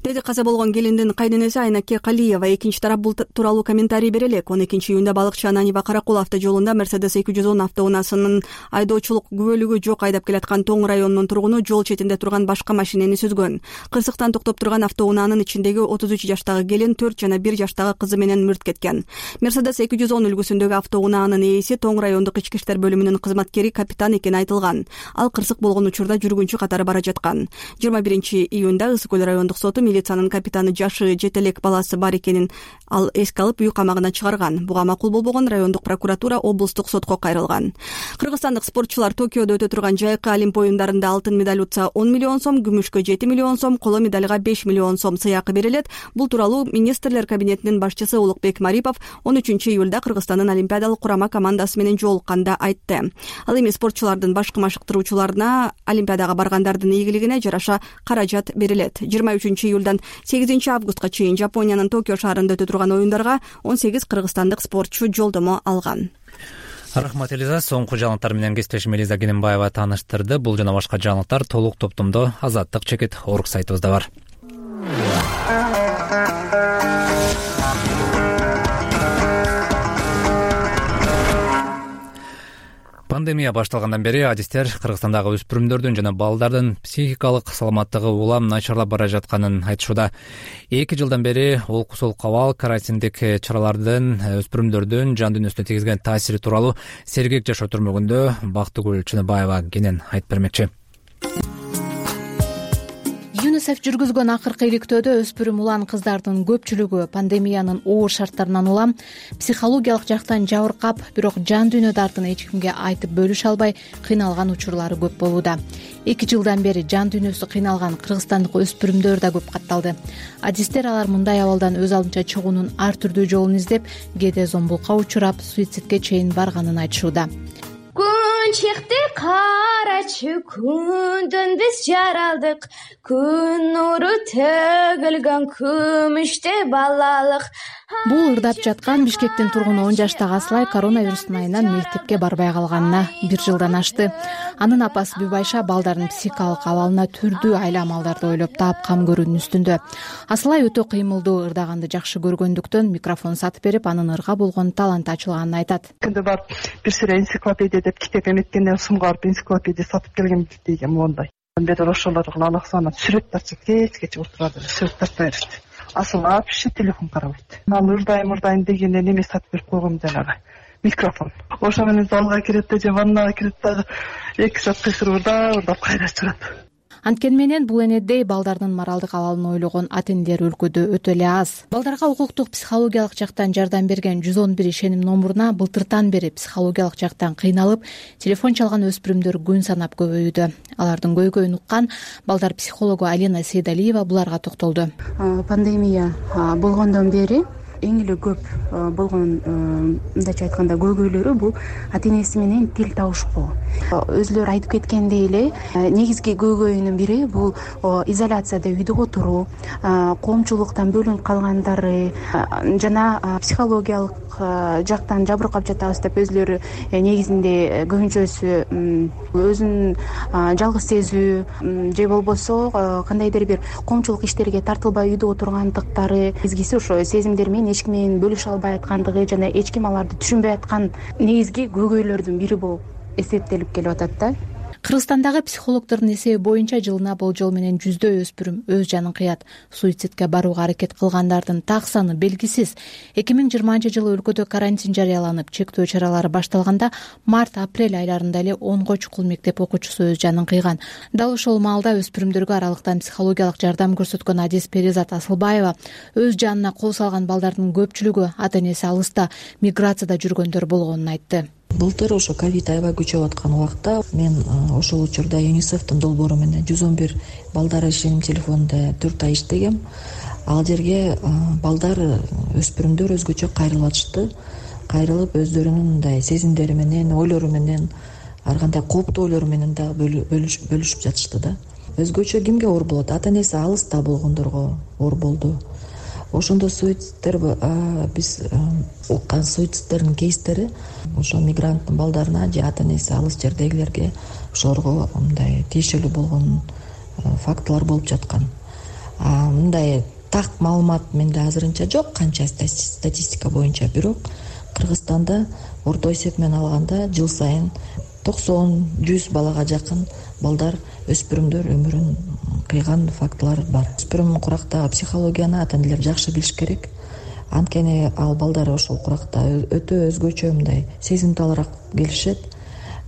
деди каза болгон келиндин кайненеси Айнаке Калиева. Экинчи тарап бул тууралуу комментарий бере элек. 12-июнда Балыкчы Ананьева Каракул автожолунда Mercedes 210 автоунаасынын айдоочулук күбөлүгү жок айдап келаткан Тоң районунун тургуну жол четинде турган башка машинени сүзгөн. Кырсыктан токтоп турган автоунаанын ичиндеги 33 жаштагы келин 4 жана 1 жаштагы кызы менен мырт кеткен. Mercedes 210 үлгүсүндөгү автоунаанын ээси Тоң райондук ички иштер бөлүмүнүн кызматкери капитан экени айтылган. Ал кырсык болгон учурда жүргүнчү катары бара жаткан. 21-июнда Ысык көл райондук соту милициянын капитаны жашы жетелек баласы бар экенин ал эске алып үй камагына чыгарган. Буга макул болбогон райондук прокуратура облустук сотко кайрылган. Кыргызстандык спортчулар Токиодо өтө турган жайкы олимп оюндарында алтын медаль утса 10 миллион сом, күмүшкө 7 миллион сом, коло медальга 5 миллион сом сыйакы берилет. Бул тууралуу министрлер кабинетинин башчысы Улукбек Марипов 13-июлда Кыргызстандын олимпиадалык курама командасы менен жолукканда айтты. Ал эми спортчулардын башкы машыктыруучуларына олимпиадага баргандардын ийгилигине жараша каражат берилет. 23-июлдан 8-августка чейин Жапониянын Токио шаарында өтө турган оюндарга 18 кыргызстандык спортчу жолдомо алган. Рахмат Элиза. Соңку жаңылыктар менен кесиптешим Элиза Кененбаева тааныштырды. Бул жана башка жаңылыктар толук топтомдо Азаттык чекит орг сайтыбызда бар. Пандемия башталгандан бери адистер Кыргызстандагы өспүрүмдөрдүн жана балдардын психикалык саламаттыгы улам начарлап бара жатканын айтышууда. 2 жылдан бери олкусол кабал, карантиндик чаралардын өспүрүмдөрдүн жан дүйнөсүнө тийгизген таасири тууралуу Сергек жашоо түрмөгүндө Бактыгүл Чыныбаева кенен айтып бермекчи. ЮНИСЕФ жүргүзгөн акыркы иликтөөдө өспүрүм улан кыздардын көпчүлүгү пандемиянын оор шарттарынан улам психологиялык жактан жабыркап, бирок жан дүйнө дартын эч кимге айтып бөлүшө албай кыйналган учурлары көп болууда. 2 жылдан бери жан дүйнөсү кыйналган кыргызстандык өспүрүмдөр да көп катталды. Адистер алар мындай абалдан өз алдынча чыгуунун ар түрдүү жолун издеп, кээде зомбулукка учурап, суицидке чейин барганын айтышууда. Күн чыкты карачы, күндөн биз жаралдык, күн нуру төгүлгөн күмүштө балалык. Бул ырдап жаткан Бишкектин тургуну 10 жаштагы Аслай коронавирустун айынан мектепке барбай калганына 1 жылдан ашты. Анын апасы Бүбайша балдардын психикалык абалына түрдүү айла амалдарды ойлоп таап кам көрүүнүн үстүндө. Аслай өтө кыймылдуу, ырдаганды жакшы көргөндүктөн микрофон сатып берип, анын ырга болгон таланты ачылганын айтат. Күндө барып бир сыра энциклопедия деп китеп эметкенде сумга барып энциклопедия сатып келгем дейгем мондай. Бедер ошолордун анаксына сүрөт тартып кечке отурат, сүрөт тартып берет. Асыл вообще телефон карабайт. Ал ырдайм дегенде неме сатып берип койгом жанагы микрофон. Ошо менен залга кирет же ваннага кирет дагы 2 саат кыйкырып ырдап кайра чыгат. Анткени менен бул энедей балдардын моралдык абалын ойлогон ата-энелер өлкөдө өтө эле аз. Балдарга укуктук психологиялык жактан жардам берген 111 ишеним номуруна былтыртан бери психологиялык жактан кыйналып, телефон чалган өспүрүмдөр күн санап көбөйүүдө. Алардын көйгөйүн уккан балдар психологу Алина Сейдалиева буларга токтолду. Пандемия болгондон бери эң эле көп болгон мындайча айтканда көйгөйлөрү бул ата-энеси менен тил табышпоо. Өзүлөрү айтып кеткендей эле негизги көйгөйүнүн бири бул изоляцияда үйдө отуруу, коомчулуктан бөлүнүп калгандары жана психологиялык жактан жабыркап жатабыз деп өзүлөрү негизинде көбүнчөсү өзүн жалгыз сезүү же болбосо кандайдыр бир коомчулук иштерге тартылбай үйдө отургандыктары, негизгиси ошо сезимдер менен эч ким менен бөлүшө албай аткандыгы жана эч ким аларды түшүнбөй аткан негизги көйгөйлөрдүн бири болуп эсептелип келип атат да. Кыргызстандагы психологдордун эсеби боюнча жылына болжол менен 100 өспүрүм өз жанын кыят. Суицидке барууга аракет кылгандардын так саны белгисиз. 2020-жылы өлкөдө карантин жарыяланып, чектөө чаралары башталганда март-апрель айларында эле 10 чукул мектеп окуучусу өз жанын кыйган. Дал ошол маалда өспүрүмдөргө аралыктан психологиялык жардам көрсөткөн адис Перизат Асылбаева өз жанына кол салган балдардын көпчүлүгү ата-энеси алыста, миграцияда жүргөндөр болгонун айтты. Былтыр ошо ковид аябай күчөп аткан убакта мен ошол учурда ЮНИСЕФтин долбоору менен 111 балдар ишеним телефонунда 4 ай иштегем. Ал жерге балдар, өспүрүмдөр өзгөчө кайрылып атышты. Кайрылып өздөрүнүн мындай сезимдери менен, ойлору менен, ар кандай кооптуу ойлору менен да бөлүшүп жатышты да. Өзгөчө кимге оор болот? Ата-энеси алыста болгондорго оор болду. Ошондо суицидтер биз уккан суицидтердин кейстери ошо мигранттын балдарына же ата-энеси алыс жердегилерге ошолорго мындай тиешелүү болгон фактылар болуп жаткан. мындай так маалымат менде азырынча жок, канча статистика боюнча. Бирок Кыргызстанда орто эсеп менен алганда жыл сайын 90-100 балага жакын балдар, өспүрүмдөр өмүрүн кыйган фактылар бар. Өспүрүм курактагы психологияны ата-энелер жакшы билиш керек. Анткени ал балдар ошол куракта өтө өзгөчө мындай сезимталыраак келишет.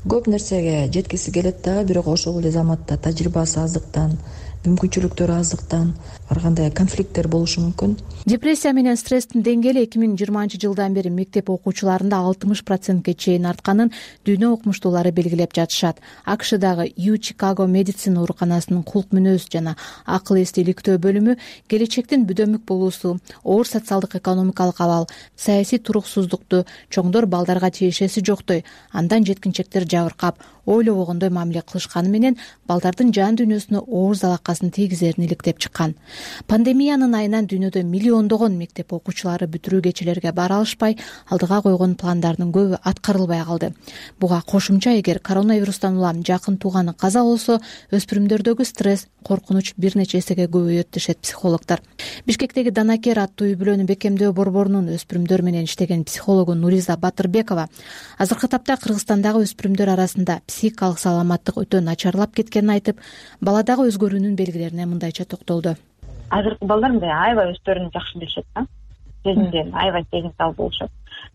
Көп нерсеге жеткиси келет дагы, бирок ошол эле заматта тажрыйбасы аздыктан, мүмкүнчүлүктөрү аздыктан ар кандай конфликттер болушу мүмкүн. Депрессия менен стресстин деңгээли 2020-жылдан бери мектеп окуучуларында 60%ке чейин артканын дүйнө окумуштуулары белгилеп жатышат. АКШдагы Чикаго медицина ооруканасынын кулк мүнөз жана акыл эсти иликтөө бөлүмү келечектин бүдөмүк болуусу, оор социалдык экономикалык абал, саясий туруксуздукту чоңдор балдарга тиешеси жоктой, андан жеткинчектер жабыркап, ойлобогондой мамиле кылышканы менен балдардын жан дүйнөсүнө оор залакасын тийгизерин иликтеп чыккан. Пандемиянын айынан дүйнөдө миллиондогон мектеп окуучулары бүтүрүү кечелерге бара алышпай, алдыга койгон пландардын көбү аткарылбай калды. Буга кошумча эгер коронавирустан улам жакын тууганы каза болсо, өспүрүмдөрдөгү стресс, коркунуч бир нече эсеге көбөйөт дешет психологдор. Бишкектеги Данакер аттуу үй-бүлөнү бекемдөө борборунун өспүрүмдөр менен иштеген психологу Нуриза Батырбекова азыркы тапта Кыргызстандагы өспүрүмдөр арасында психикалык саламаттык өтө начарлап кеткенин айтып, баладагы өзгөрүүнүн белгилерине мындайча токтолду. Азыркы балдар мындай аябай өздөрүн жакшы билишет да, сезимден аябай сезимтал болушат.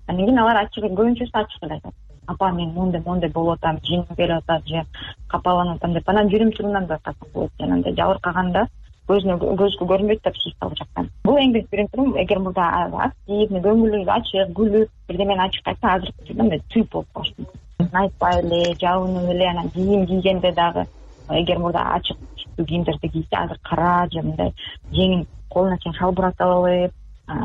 Андан кийин алар көбүнчөсү ачык эле айтат. Апа, мен моундай болуп атам, жеңим келип атат же капаланып атам деп, анан жүрүм турумдан да катуу болот. Жанагындай жабыркаганда көзгө көрүнбөйт да психикалык жактан. Бул эң биринчи принципим, эгер мурда активный, көңүлү ачык, күлүп, бирдемени ачык айтса, азыркы учурда мындай түйүп болуп калышы мүмкүн. Айтпай эле, жабынып эле, анан кийим кийгенде дагы эгер мурда ачык кийимдерди кийсе, азыр кара же мындай жеңин колуна чейин шалбырат алып,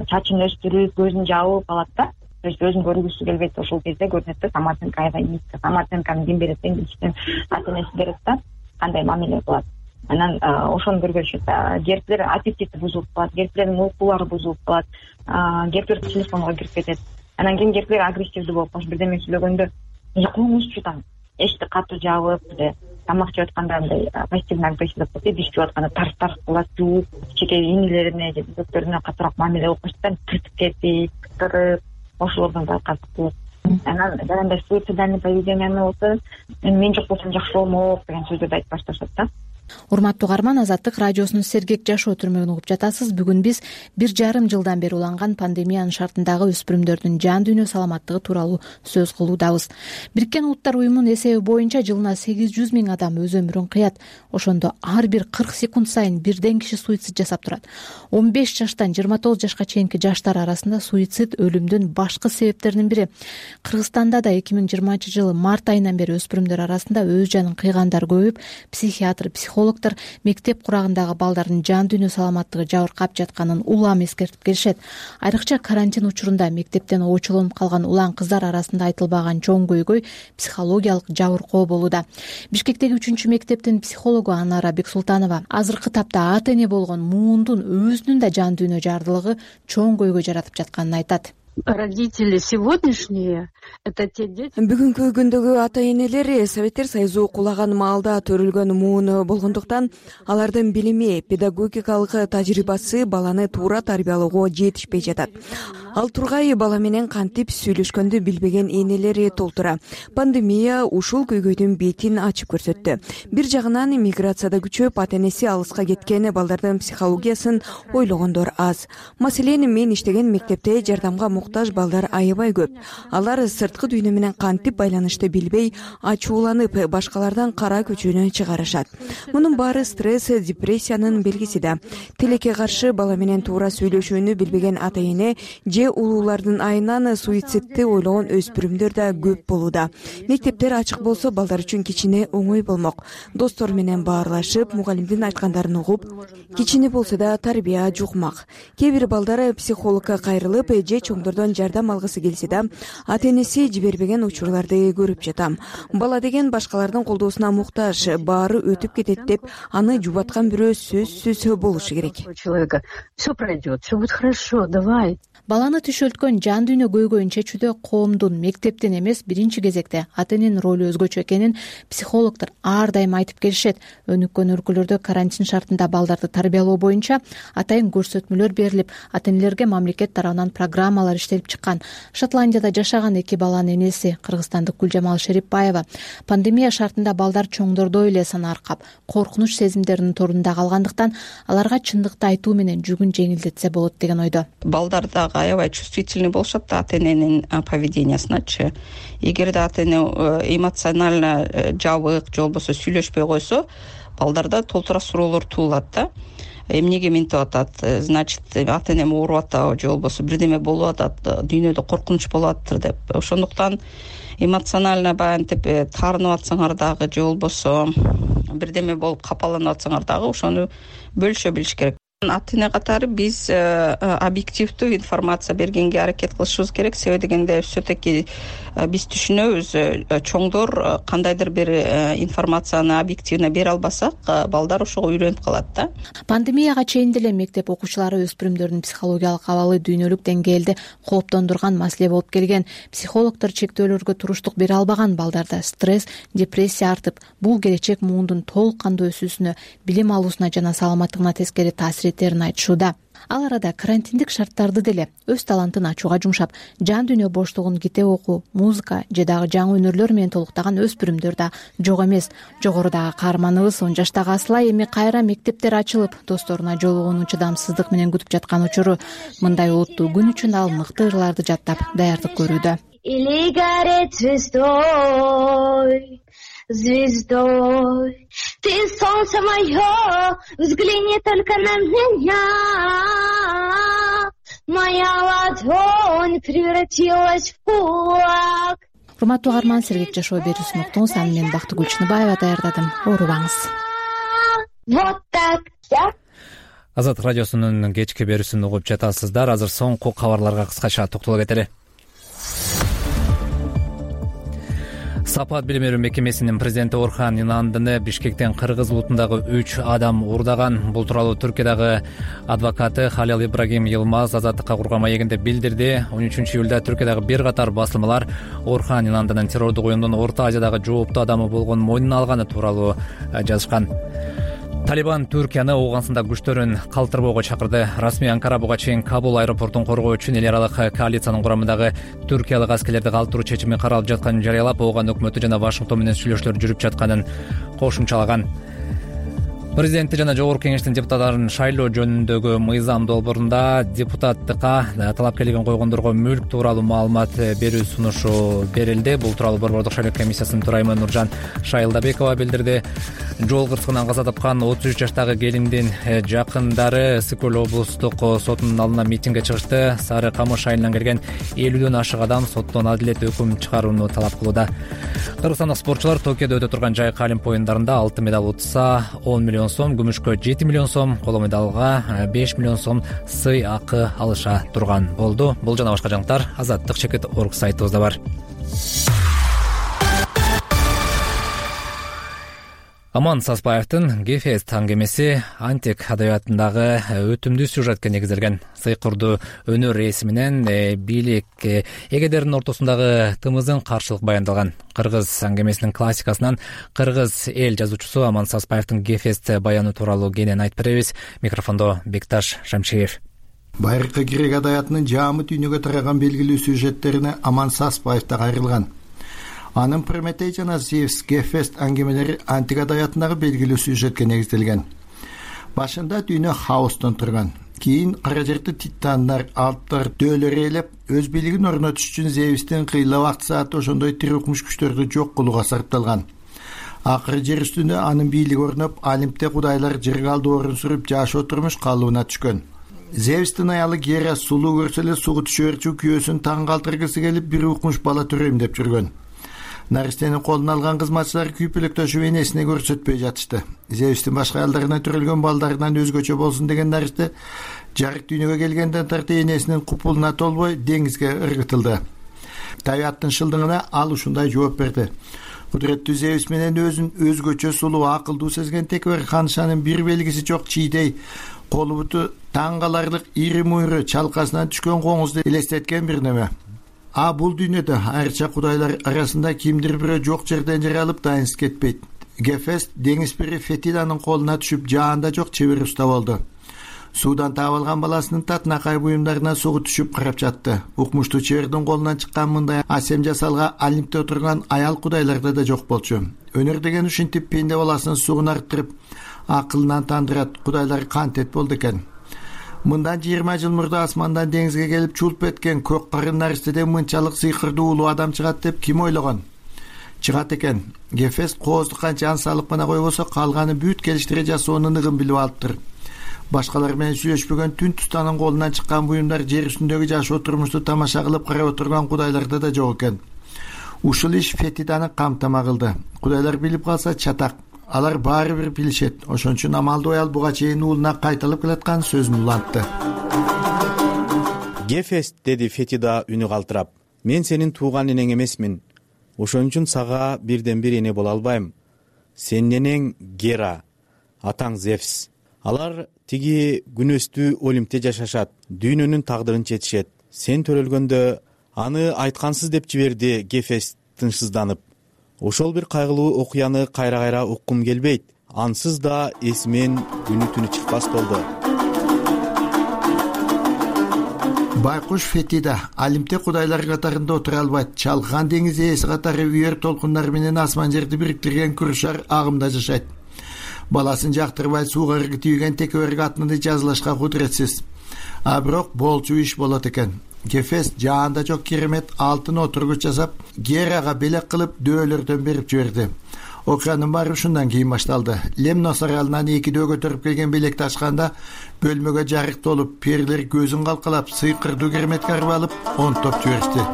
чачын өстүрүп, көзүн жабып алат да. То есть өзүн көргүсү келбейт, ошол кезде көрүнөт да, самооценка аябай низко. Самооценканы ким берет? Эң биринчиден ата-энеси берет да, кандай мамиле кылат. Анан ошону көргөзүшөт. Кээптер аппетити бузулуп калат, кээптирдин уйкулары бузулуп калат, кээптер телефонго кирип кетет. Анан кийин кээптер агрессивдүү болуп калат, бирдеме сүйлөгөндө коңузчу там, эшикти катуу жабып, тамак жеп атканда мындай пассивный агрессия деп коет, иш жеп атканда тарс кылат, жууп, чеке инилерине же дөктөрүнө катуураак мамиле кылып коюштан тыртып кетип, кытырып, ошолордон да катык болот. Анан жанагындай суицидальный поведенияны болсо, мен жок болсом жакшы болмок деген сөздөрдү айтып башташат да. Урматтуу угарман, Азаттык радиосунун Сергек жашоо түрмөгүн угуп жатасыз. Бүгүн биз 1,5 жылдан бери уланган пандемиянын шартындагы өспүрүмдөрдүн жан дүйнө саламаттыгы тууралуу сөз кылуудабыз. Бириккен Улуттар уюмунун эсеби боюнча жылына 800 000 адам өз өмүрүн кыят. Ошондо ар бир 40 секунд сайын бирден киши суицид жасап турат. 15 жаштан 29 жашка чейинки жаштар арасында суицид өлүмдүн башкы себептеринин бири. Кыргызстанда да 2020 жылы март айынан бери өспүрүмдөр арасында өз жанын кыйгандар көбөйүп, психиатр, психологдор мектеп курагындагы балдардын жан дүйнө саламаттыгы жабыркап жатканын улам эскертип келишет. Айрыкча карантин учурунда мектептен очолонуп калган улан кыздар арасында айтылбаган чоң көйгөй психологиялык жабыркоо болууда. Бишкектеги 3-чү мектептин психологу Анара Бексултанова азыркы тапта ата-эне болгон муундун өзүнүн да жан дүйнө жардылыгы чоң көйгөй жаратып жатканын айтат. Родители сегодняшние — это те дети. Бүгүнкү күндөгү ата-энелер Советтер Союзу кулаган маалда төрүлгөн муун болгондуктан алардын билими, педагогикалык тажрыйбасы баланы туура тарбиялоого жетишпей жатат. Ал тургай бала менен кантип сүйлөшкөндү билбеген энелер толтура. Пандемия ушул көйгөйдүн бетин ачып көрсөттү. Бир жагынан миграцияда күчөп, ата-энеси алыска кеткен балдардын психологиясын ойлогондор аз. Маселен, мен иштеген мектепте жардамга муктаж балдар аябай көп. Алар сырткы дүйнө менен кантип байланышты билбей, ачууланып, башкалардан кара көчөнө чыгарышат. Мунун баары стресс, депрессиянын белгиси да. Тилекке каршы бала менен туура сүйлөшүүнү билбеген ата-эне же улуулардын айынан суицидти ойлогон өспүрүмдөр да көп болууда. Мектептер ачык болсо балдар үчүн кичине оңой болмок. Достор менен баарлашып, мугалимдин айткандарын угуп, кичине болсо да тарбия жукмак. Кээ бир балдар психологко кайрылып, же чоңдор ошолордон жардам алгысы келсе да ата энеси жибербеген учурларды көрүп жатам. Бала деген башкалардын колдоосуна муктаж, баары өтүп кетет деп аны жубаткан бирөө сөзсүз болушу керек. Все пройдет, все будет хорошо, давай. Баланы түшөлткөн жан дүйнө көйгөйүн чечүүдө коомдун, мектептин эмес, биринчи кезекте ата эненин ролу өзгөчө экенин психологдор ар дайым айтып келишет. Өнүккөн өлкөлөрдө карантин шартында балдарды тарбиялоо боюнча атайын көрсөтмөлөр берилип, ата энелерге мамлекет тарабынан программалар иштелип чыккан. Шотландияда жашаган 2 баланын энеси кыргызстандык Гүлжамал Шерипбаева пандемия шартында балдар чоңдордой эле сана аркап, коркунуч сезимдеринин торунда калгандыктан аларга чындыкты айтуу менен жүгүн жеңилдетсе болот деген ойдо. Балдар дагы аябай чувствительный болушат да ата эненин поведениясыначы. Эгерде ата эне эмоционально жабык же болбосо сүйлөшпөй койсо, балдарда толтура суроолор туулат да. Эмнеге мынтип атат? Значит, ата энем ооруп атабы же болбосо бирдеме болуп атат, дүйнөдө коркунуч болуп атыптыр деп. Ошондуктан эмоционально баянтип таарынып атсаңар дагы же болбосо бирдеме болуп капаланып атсаңар дагы ошону бөлүшө билиш керек. Ата эне катары биз объективдүү информация бергенге аракет кылышыбыз керек. Себеби дегенде все-таки биз түшүнөбүз, чоңдор кандайдыр бир информацияны объективно бере албасак, балдар ошого үйрөнүп калат да. Пандемияга чейин деле мектеп окуучулары өспүрүмдөрдүн психологиялык абалы дүйнөлүк деңгээлде кооптондурган маселе болуп келген. Психологдор чектөөлөргө туруштук бере албаган балдарда стресс, депрессия артып, бул келечек муундун толук кандуу өсүүсүнө, билим алуусуна жана саламаттыгына тескери таасир этерин айтышууда. Ал арада карантиндик шарттарды деле өз талантын ачууга жумшап, жан дүйнө боштугун китеп окуу, музыка же дагы жаңы өнөрлөр менен толуктаган өспүрүмдөр да жок эмес. Жогорудагы каарманыбыз 10 жаштагы Аслай эми кайра мектептер ачылып, досторуна жолугууну чыдамсыздык менен күтүп жаткан учуру. Мындай олуттуу күн үчүн ал мыкты ырларды жаттап даярдык көрүүдө. Или горит звездой, звездой, ты солнце мое, взгляни только на меня. Моя ладонь превратилась в кулак. Урматтуу каарман, Сергек жашоо берүүсүн уктуңуз. Аны мен Бактыгүл Чыныбаева даярдадым. Оорубаңыз. Вот так. Азаттык радиосунун кечки берүүсүн угуп жатасыздар. Азыр соңку кабарларга кыскача токтоло кетели. Сапат билим берүү мекемесинин президенти Орхан Инандыны Бишкектен кыргыз улутундагы 3 адам уурдаган. Бул тууралуу Түркиядагы адвокаты Халил Ибрагим Йылмаз Азаттыкка курган маегинде билдирди. 13 июлда Түркиядагы бир катар басылмалар Орхан Инандынын террордук оюндун Орто Азиядагы жооптуу адамы болгонун мойнуна алганы тууралуу жазышкан. Талибан Түркияны Ооганстанда күчтөрүн калтырбоого чакырды. Расмий Анкара буга чейин Кабул аэропортун коргоо үчүн эл аралык коалициянын курамындагы түркиялык аскерлерди калтыруу чечими каралып жатканын жарыялап, Ооган өкмөтү жана Вашингтон менен сүйлөшүүлөр жүрүп жатканын кошумчалаган. Президенти жана Жогорку Кеңештин депутаттарын шайлоо жөнүндөгү мыйзам долбоорунда депутаттыкка талапкерлигин койгондорго мүлк тууралуу маалымат берүү сунушу берилди. Бул тууралуу Борбордук шайлоо комиссиясынын төрайымы Нуржан Шайылдабекова билдирди. Жол кырсыгынан каза тапкан 33 жаштагы келиндин жакындары Сыкөл облустук сотунун алдына митингге чыгышты. Сары Камыш айылынан келген 50дөн ашык адам соттон адилет өкүм чыгарууну талап кылууда. Кыргызстандык спортчулар Токиодо өтө турган жайкы олимпия оюндарында алтын медаль утса 10 миллион сом, күмүшкө 7 миллион сом, коло медалга 5 миллион сом сый акы алыша турган болду. Бул жана башка жаңылыктар azаттык.org сайтыбызда бар. Аман Саспаевдин Гефест аңгемеси антик адабиятындагы өтүмдүү сюжетке негизделген. Сыйкырдуу өнөр ээси менен бийлик эгедердин ортосундагы тымызын каршылык баяндалган. Кыргыз аңгемесинин классикасынан кыргыз эл жазуучусу Аман Саспаевдин Гефест баяны тууралуу кенен айтып беребиз. Микрофондо Бекташ Шамшиев. Байыркы грек адабиятынын жаамы дүйнөгө тараган белгилүү сюжеттерине Аман Саспаев да кайрылган. Анын Прометей жана Зевс Гефест аңгемелери антик адабиятындагы белгилүү сюжетке негизделген. Башында дүйнө хаостон турган. Кийин кара жерди титандар, алптар, дөөлөр ээлеп, өз бийлигин орнотуш үчүн Зевстин кыйла вакт сааты ошондой тирикмуш күчтөрдү жок кылууга сарпталган. Акыры жер үстүндө анын бийлиги орноп, Олимпте кудайлар жерге алды орун сүрүп жашоо турмуш калыбына түшкөн. Зевстин аялы Гера сулуу көрсө эле суга түшөрчү күйөөсүн таң калтыргысы келип, бир укмуш бала төрөйм деп жүргөн. Наристенин колуна алган кызматчылар күйпөлөктөшүп энесине көрсөтпөй жатышты. Зевстин башка аялдарына төрөлгөн балдарынан өзгөчө болсун деген наристе жарык дүйнөгө келгенден тарта энесинин купулуна толбой деңизге ыргытылды. Табиаттын шылдыгына ал ушундай жооп берди. Кудуреттүү Зевс менен өзүн өзгөчө сулуу, акылдуу сезген Текебер ханышанын бир белгиси жок чийдей колу буту таң каларлык ири муйру чалкасынан түшкөн коңузду элестеткен бир неме. Бул дүйнөдө айрыкча кудайлар арасында кимдир бирөө жок жерден жаралып дайынсыз кетпейт. Гефест деңиз пири Фетиданын колуна түшүп жаанда жок чебер уста болду. Суудан таап алган баласынын татынакай буюмдарына сугу түшүп карап жатты. Укмуштуу чебердин колунан чыккан мындай асем жасалга Олимпте отурган аял кудайларда да жок болчу. Өнөр деген ушинтип пенде баласын сугун арттырып, акылынан тандырат кудайлар кантет болду экен. Мындан 20 жыл мурда асмандан деңизге келип чулп эткен көк карын наристеден мынчалык сыйкырдуу улуу адам чыгат деп ким ойлогон? Чыгат экен. Гефест коозду канча салып гана койбосо калганы бүт келиштире жасоонун ыгын билип алыптыр. Башкалар менен сүйлөшпөгөн түн тустанын колунан чыккан буюмдар жер үстүндөгү жашоо турмушту тамаша кылып карап отурган кудайларда да жок экен. Ушул иш Фетиданы камтама кылды. Кудайлар билип калса чатак. Алар баары бир билишет. Ошон үчүн амалдуу аял буга чейин уулуна кайталып келаткан сөзүн улантты. Гефест, деди Фетида үнү калтырап. Мен сенин тууган энең эмесмин. Ошон үчүн сага бирден бир эне боло албайм. Сенин энең Гера, атаң Зевс. Алар тиги күнөстүү Олимпте жашашат, дүйнөнүн тагдырын четишет. Сен төрөлгөндө аны айткансыз деп жиберди Гефест тынчсызданып. Ошол бир кайгылуу окуяны кайра-кайра уккум келбейт. Ансыз да эсимен күнү түнү чыкпас болду. Байкуш Фетида Олимпте кудайлар катарында отура албайт. Чалкан деңиз ээси катары үйөр толкундар менен асман жерди бириктирген күрүшар агымда жашайт. Баласын жактырбай сууга ыргы тийген Текеберге атынды жазылашка кудуретсиз. Бирок болчу иш болот экен. Гефест жаанда жок керемет алтын отургуч жасап, Герага белек кылып дөөлөрдөн берип жиберди. Окуянын баары ушундан кийин башталды. Лемнос аралынан 2 көтөрүп келген белекти ачканда бөлмөгө жарык толуп, перилер көзүн калкалап, сыйкырдуу кереметке карап алып, онтоп жиберишти.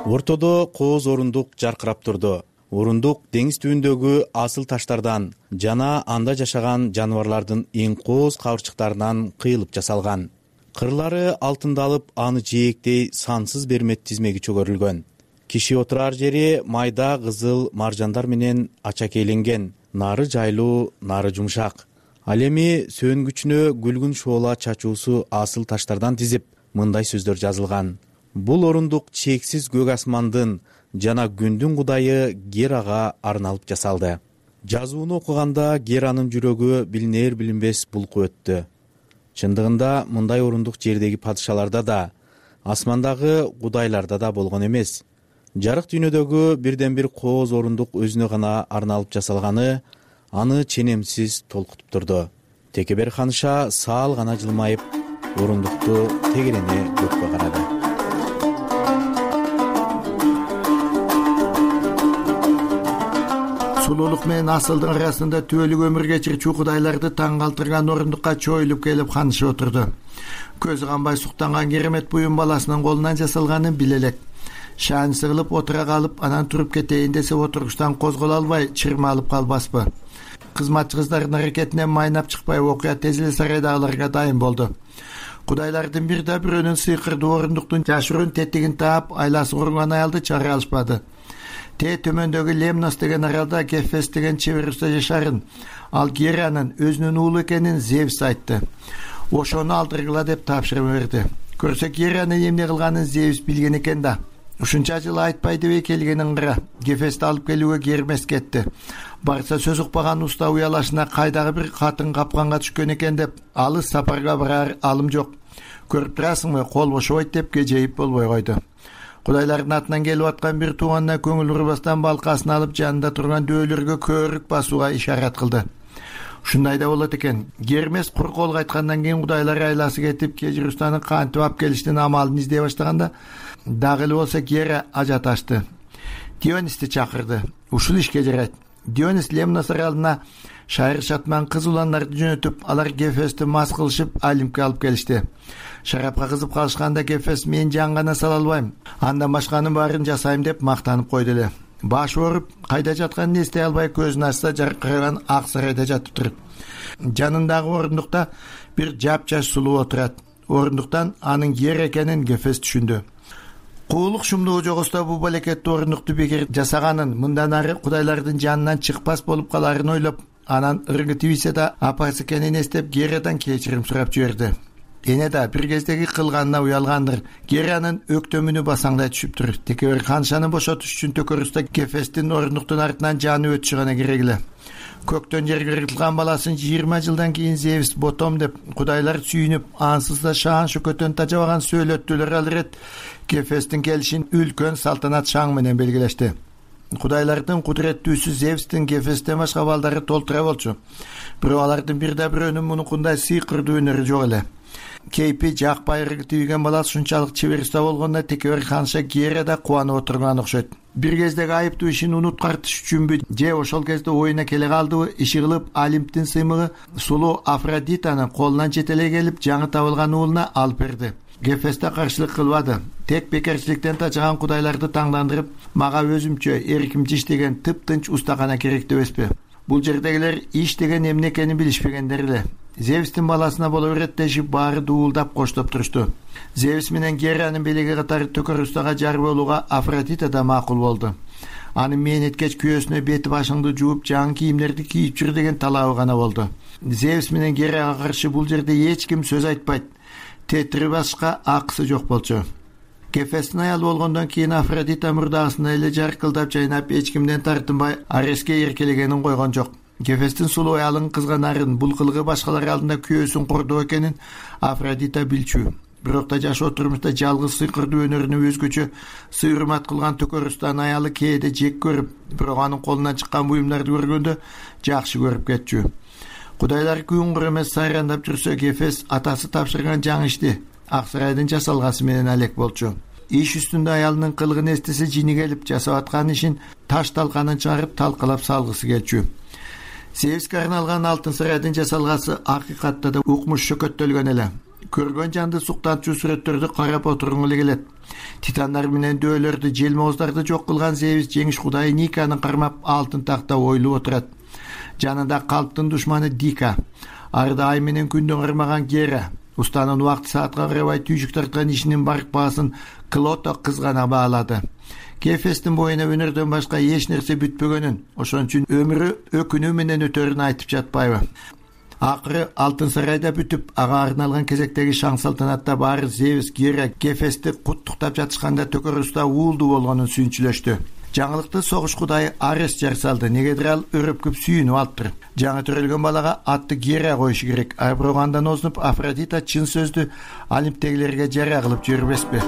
Ортодо кооз орундук жаркырап турду. Орундук деңиз түбүндөгү асыл таштардан жана анда жашаган жаныбарлардын эң кооз кабырчыктарынан кыйылып жасалган. Кырлары алтындалып, аны жээктей сансыз бермет тизмеги чөгөрүлгөн. Киши отурар жери майда кызыл маржандар менен ачакейленген. Нары жайлуу, нары жумшак. Ал эми сөнгүчүнө күлгүн шоола чачуусу асыл таштардан тизип, мындай сөздөр жазылган. Бул орундук чексиз көк асмандын жана күндүн кудайы Герага арналып жасалды. Жазууну окуганда Геранын жүрөгү билинер билинбес булкуп өттү. Чындыгында мындай орундук жердеги падышаларда да, асмандагы кудайларда да болгон эмес. Жарык дүйнөдөгү бирден бир кооз орундук өзүнө гана арналып жасалганы аны ченемсиз толкутуп турду. Текебер ханыша саал гана жылмайып, орундукту тегерене көккө карады. Сулуулук менен асылдын арасында түбөлүк өмүр кечирчү кудайларды таң калтырган орундукка чоюлуп келип ханышып отурду. Көзү канбай суктанган керемет буюм баласынын колунан жасалганын биле элек. Шааны сыгылып отура калып, анан туруп кетейин десе отургучтан козголо албай чырмалып калбаспы. Кызматчы кыздардын аракетинен майнап чыкпай окуя тез эле сарайдагыларга дайын болду. Кудайлардын бир да бирөөнүн сыйкырдуу орундуктун жашыруун тетигин таап, айласы куруган аялды чыгара алышпады. Төмөндөгү Лемнос деген аралда Гефест деген чебер уста жашарын. Ал Геранын өзүнүн уулу экенин Зевс айтты. Ошону алдыргыла деп тапшырма берди. Көрсө Геранын эмне кылганын Зевс билген экен да. Ушунча жыл айтпай деп келгенин кара. Гефестти алып келүүгө Гермес кетти. Барса сөз укпаган уста уялашына кайдагы бир катын капканга түшкөн экен деп, алыс сапарга барар алым жок. Көрүп турасыңбы, кол бошобойт деп кежейип болбой койду. Кудайлардын атынан келип аткан бир тууганына көңүл урбастан балкасын алып жанында турган дөөлөргө көөрүк басууга ишарат кылды. Ушундай да болот экен. Гермес кур кол кайткандан кийин кудайлар айласы кетип, кежир устаны кантип алып келиштин амалын издей баштаганда, дагы эле болсо Гера ажат ачты. Дионисти чакырды. Ушул ишке жарайт. Дионис Лемнос аралына шайыр шатман кыз уландарды жөнөтүп, алар Гефестти мас кылышып Олимпке алып келишти. Шарапка кызып калышканда Гефест мен жан гана сала албайм, андан башканын баарын жасайм деп мактанып койду эле. башы ооруп кайда жатканын эстей албай көзүн ачса жаркыраган ак сарайда жатыптыр. Жанындагы орундукта бир жапжаш сулуу отурат. Орундуктан анын ер экенин Гефест түшүндү. Куулук шумдуу жогосто бул балекеттүү орундукту бекер жасаганын, мындан ары кудайлардын жанынан чыкпас болуп каларын ойлоп, анан ыргы тийсе да апасы экенин эстеп Герадан кечирим сурап жиберди. Эне да бир кездеги кылганына уялгандыр. Геранын өктөмүнү басаңдай түшүптүр. Текебер ханшаны бошотуш үчүн Төкөрүстө Гефесттин орундуктун артынан жаны өтүшү гана керек эле. Көктөн жерге кыргытылган баласын 20 жылдан кийин Зевс ботом деп кудайлар сүйүнүп, ансыз да шаан шөкөтөн тажабаган сөйлөттүлөр ал ирет Гефесттин келишин үлкөн салтанат шаң менен белгилешти. Кудайлардын кудуреттүүсү Зевстин Гефесттен башка балдары толтура болчу. Бирок алардын бирде бирөөнүн мунукундай сыйкырдуу өнөрү жок эле. Кейпи жакпай ыргы тийген баласы ушунчалык чебер уста болгондо Текебер ханша Гера да кубанып отурган окшойт. Бир кездеги айыптуу ишин унуткартыш үчүнбү же ошол кезде оюна келе калдыбы, иши кылып Олимптин сыймыгы сулуу Афродитаны колунан жетелей келип жаңы табылган уулуна алып берди. Гефестте каршылык кылбады. Тек бекерчиликтен тажаган кудайларды таңдандырып, мага өзүмчө эркимче иштеген тыптынч устакана керек дебеспи? Бул жердегилер иш деген эмне экенин билишпегендер эле. Зевстин баласына боло берет дешип баары дуулдап коштоп турушту. Зевс менен Геранын белеги катары Төкөрүстага жар болууга Афродита да макул болду. Анын мээнеткеч күйөөсүнө бети башыңды жууп, жаңы кийимдерди кийип жүр деген талабы гана болду. Зевс менен Герага каршы бул жерде эч ким сөз айтпайт. Тетири башка акысы жок болчу. Гефесттин аялы болгондон кийин Афродита мурдагысына эле жаркылдап жайнап, эч кимден тартынбай Ареске эркелегенин койгон жок. Гефесттин сулуу аялын кызганарын, бул кылыгы башкалар алдында күйөөсүн кордоо экенин Афродита билчү. Бирок да жашоо турмушта жалгыз сыйкырдуу өнөрүнө өзгөчө сый урмат кылган Төкөрүстөн аялы кээде жек көрүп, бирок анын колунан чыккан буюмдарды көргөндө жакшы көрүп кетчү. Кудайлар күнгүр эмес сайрандап жүрсө, Гефест атасы тапшырган жаңы ишти ак сарайдын жасалгасы менен алек болчу. Иш үстүндө аялынын кылыгын эстесе жини келип, жасап аткан ишин таш талканын чыгарып талкалап салгысы келчү. Зевске арналган алтын сарайдын жасалгасы акыйкатта да укмуш шөкөттөлгөн эле. Көргөн жанды суктантчу сүрөттөрдү карап отургуң эле келет. Титандар менен дөөлөрдү, желмооздарды жок кылган Зевс жеңиш кудайы Никаны кармап алтын такта ойлуп отурат. Жанында калптын душманы Дика, арда ай менен күндү кармаган Гера, устанын убакыт саатка карабай түйшүк тарткан ишинин барк баасын Клото кызгана баалады. Гефесттин боюна өнөрдөн башка эч нерсе бүтпөгөнүн, ошон үчүн өмүрү өкүнүү менен өтөрүн айтып жатпайбы? Акыры алтын сарайда бүтүп, ага арналган кезектеги шаң салтанатта баары Зевс, Гера, Гефестти куттуктап жатышканда Төкөрүстө уулду болгонун сүйүнчүлөштү. Жаңылыкты согуш кудайы Арес жар салды. Негедир ал өрөпкүп сүйүнүп алыптыр. Жаңы төрөлгөн балага атты Гера коюшу керек. Бирок андан озунуп Афродита чын сөздү Олимптегилерге жара кылып жибербеспи?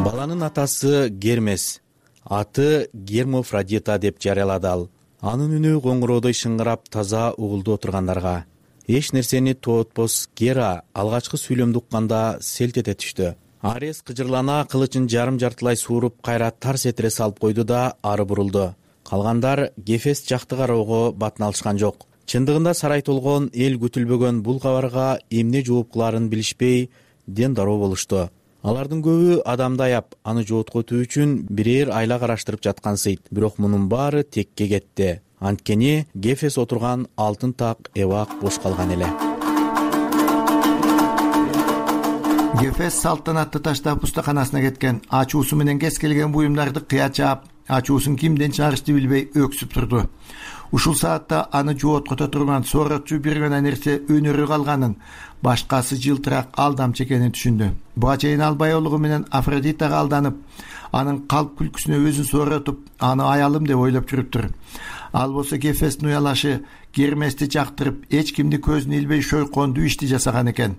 Баланын атасы Гермес, аты Гермофродита деп жарыялады ал. Анын үнү коңгуроодой шыңгырап таза угулду отургандарга. Эч нерсени тоотпос Гера алгачкы сүйлөмдү укканда селт эте түштү. Арес кыжырлана кылычын жарым жартылай сууруп кайра тарс этире салып койду да ары бурулду. Калгандар Гефест жакты кароого батын алышкан жок. Чындыгында сарай толгон, эл күтүлбөгөн бул кабарга эмне жооп кыларын билишпей ден дароо болушту. Алардын көбү адамды аяп, аны жооткотуу үчүн бирээр айла караштырып жаткансыйт. Бирок мунун баары текке кетти. Анткени Гефес отурган алтын так эбак бош калган эле. Гефест салтанатты таштап устаканасына кеткен. Ачуусу менен кез келген буюмдарды кыя чаап, ачуусун кимден чыгарышты билбей өксүп турду. Ушул саатта аны жооткото турган сооротчу бир гана нерсе өнөрү калганын, башкасы жылтырак алдамчы экенин түшүндү. Буга чейин ал баяулугу менен Афродитага алданып, анын калп күлкүсүнө өзүн сооротуп, аны аялым деп ойлоп жүрүптүр. Ал болсо Гефесттин уялашы Гермести жактырып, эч кимди көзүнө илбей шойкондуу ишти жасаган экен.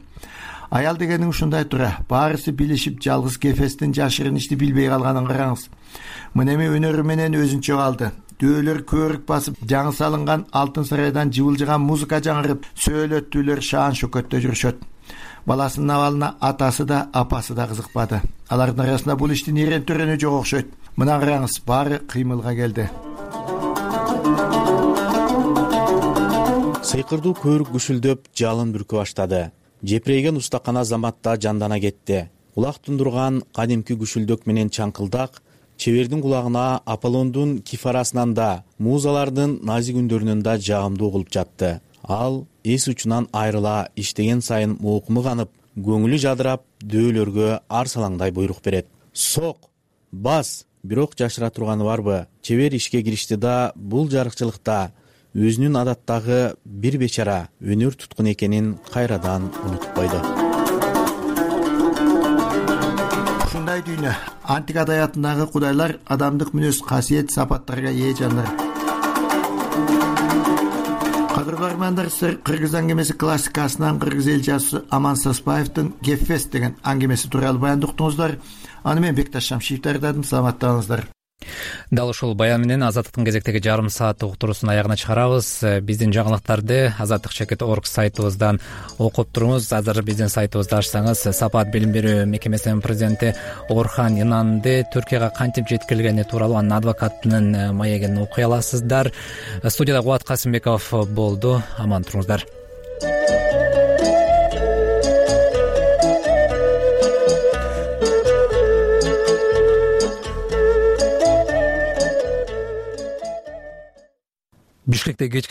Аял дегениң ушундай тура. Баарысы билишип, жалгыз Гефесттин жашырын ишти билбей калганын караңыз. Мынеме өнөрү менен өзүнчө калды. Дөөлөр көөрүк басып, жаңы салынган алтын сарайдан жыбылжыган музыка жаңырып, сөөлөттүүлөр шаан шөкөттө жүрүшөт. Баласынын абалына атасы да, апасы да кызыкпады. Алардын арасында бул иштин эрен төрөнү жок окшойт. Мына караңыз, баары кыймылга келди. Сыйкырдуу көөрүк күшүлдөп, жалын бүркө баштады. Жепирейген устакана заматта жандана кетти. Улак тундурган кадимки күшүлдөк менен чаңкылдак чебердин кулагына Аполлондун кифарасынан да, музалардын назик үндөрүнөн да жагымдуу угулуп жатты. Ал эс учунан айрыла иштеген сайын моокуму канып, көңүлү жадырап, дөөлөргө арсалаңдай буйрук берет. Сок, бас, бирок жашыра турганы барбы? Чебер ишке киришти да бул жарыкчылыкта өзүнүн адаттагы бир бечара өнөр туткун экенин кайрадан унутуп койду. Ушундай дүйнө, антик адаятындагы кудайлар адамдык мүнөз, касиет, сапаттарга ээ жандар. Кадырлуу армандар, сиздер Кыргыз аңгемеси классикасынан кыргыз эл жазуучусу Аман Саспаевдин Гефест деген аңгемеси тууралуу баянды уктуңуздар. Аны мен Бекташ Шамшиев даярдадым. Саламаттаңыздар. Дал ушул баян менен Азаттыктын кезектеги жарым сааттык уктуруусун аягына чыгарабыз. Биздин жаңылыктарды azattik.org сайтыбыздан окуп туруңуз. Азыр биздин сайтыбызды ачсаңыз, Сапат билим берүү мекемесинин президенти Орхан Инанды Түркияга кантип жеткирилгени тууралуу анын адвокатынын маегин окуй аласыздар. Студияда Кубат Касымбеков болду. Аман туруңуздар. Бишкекте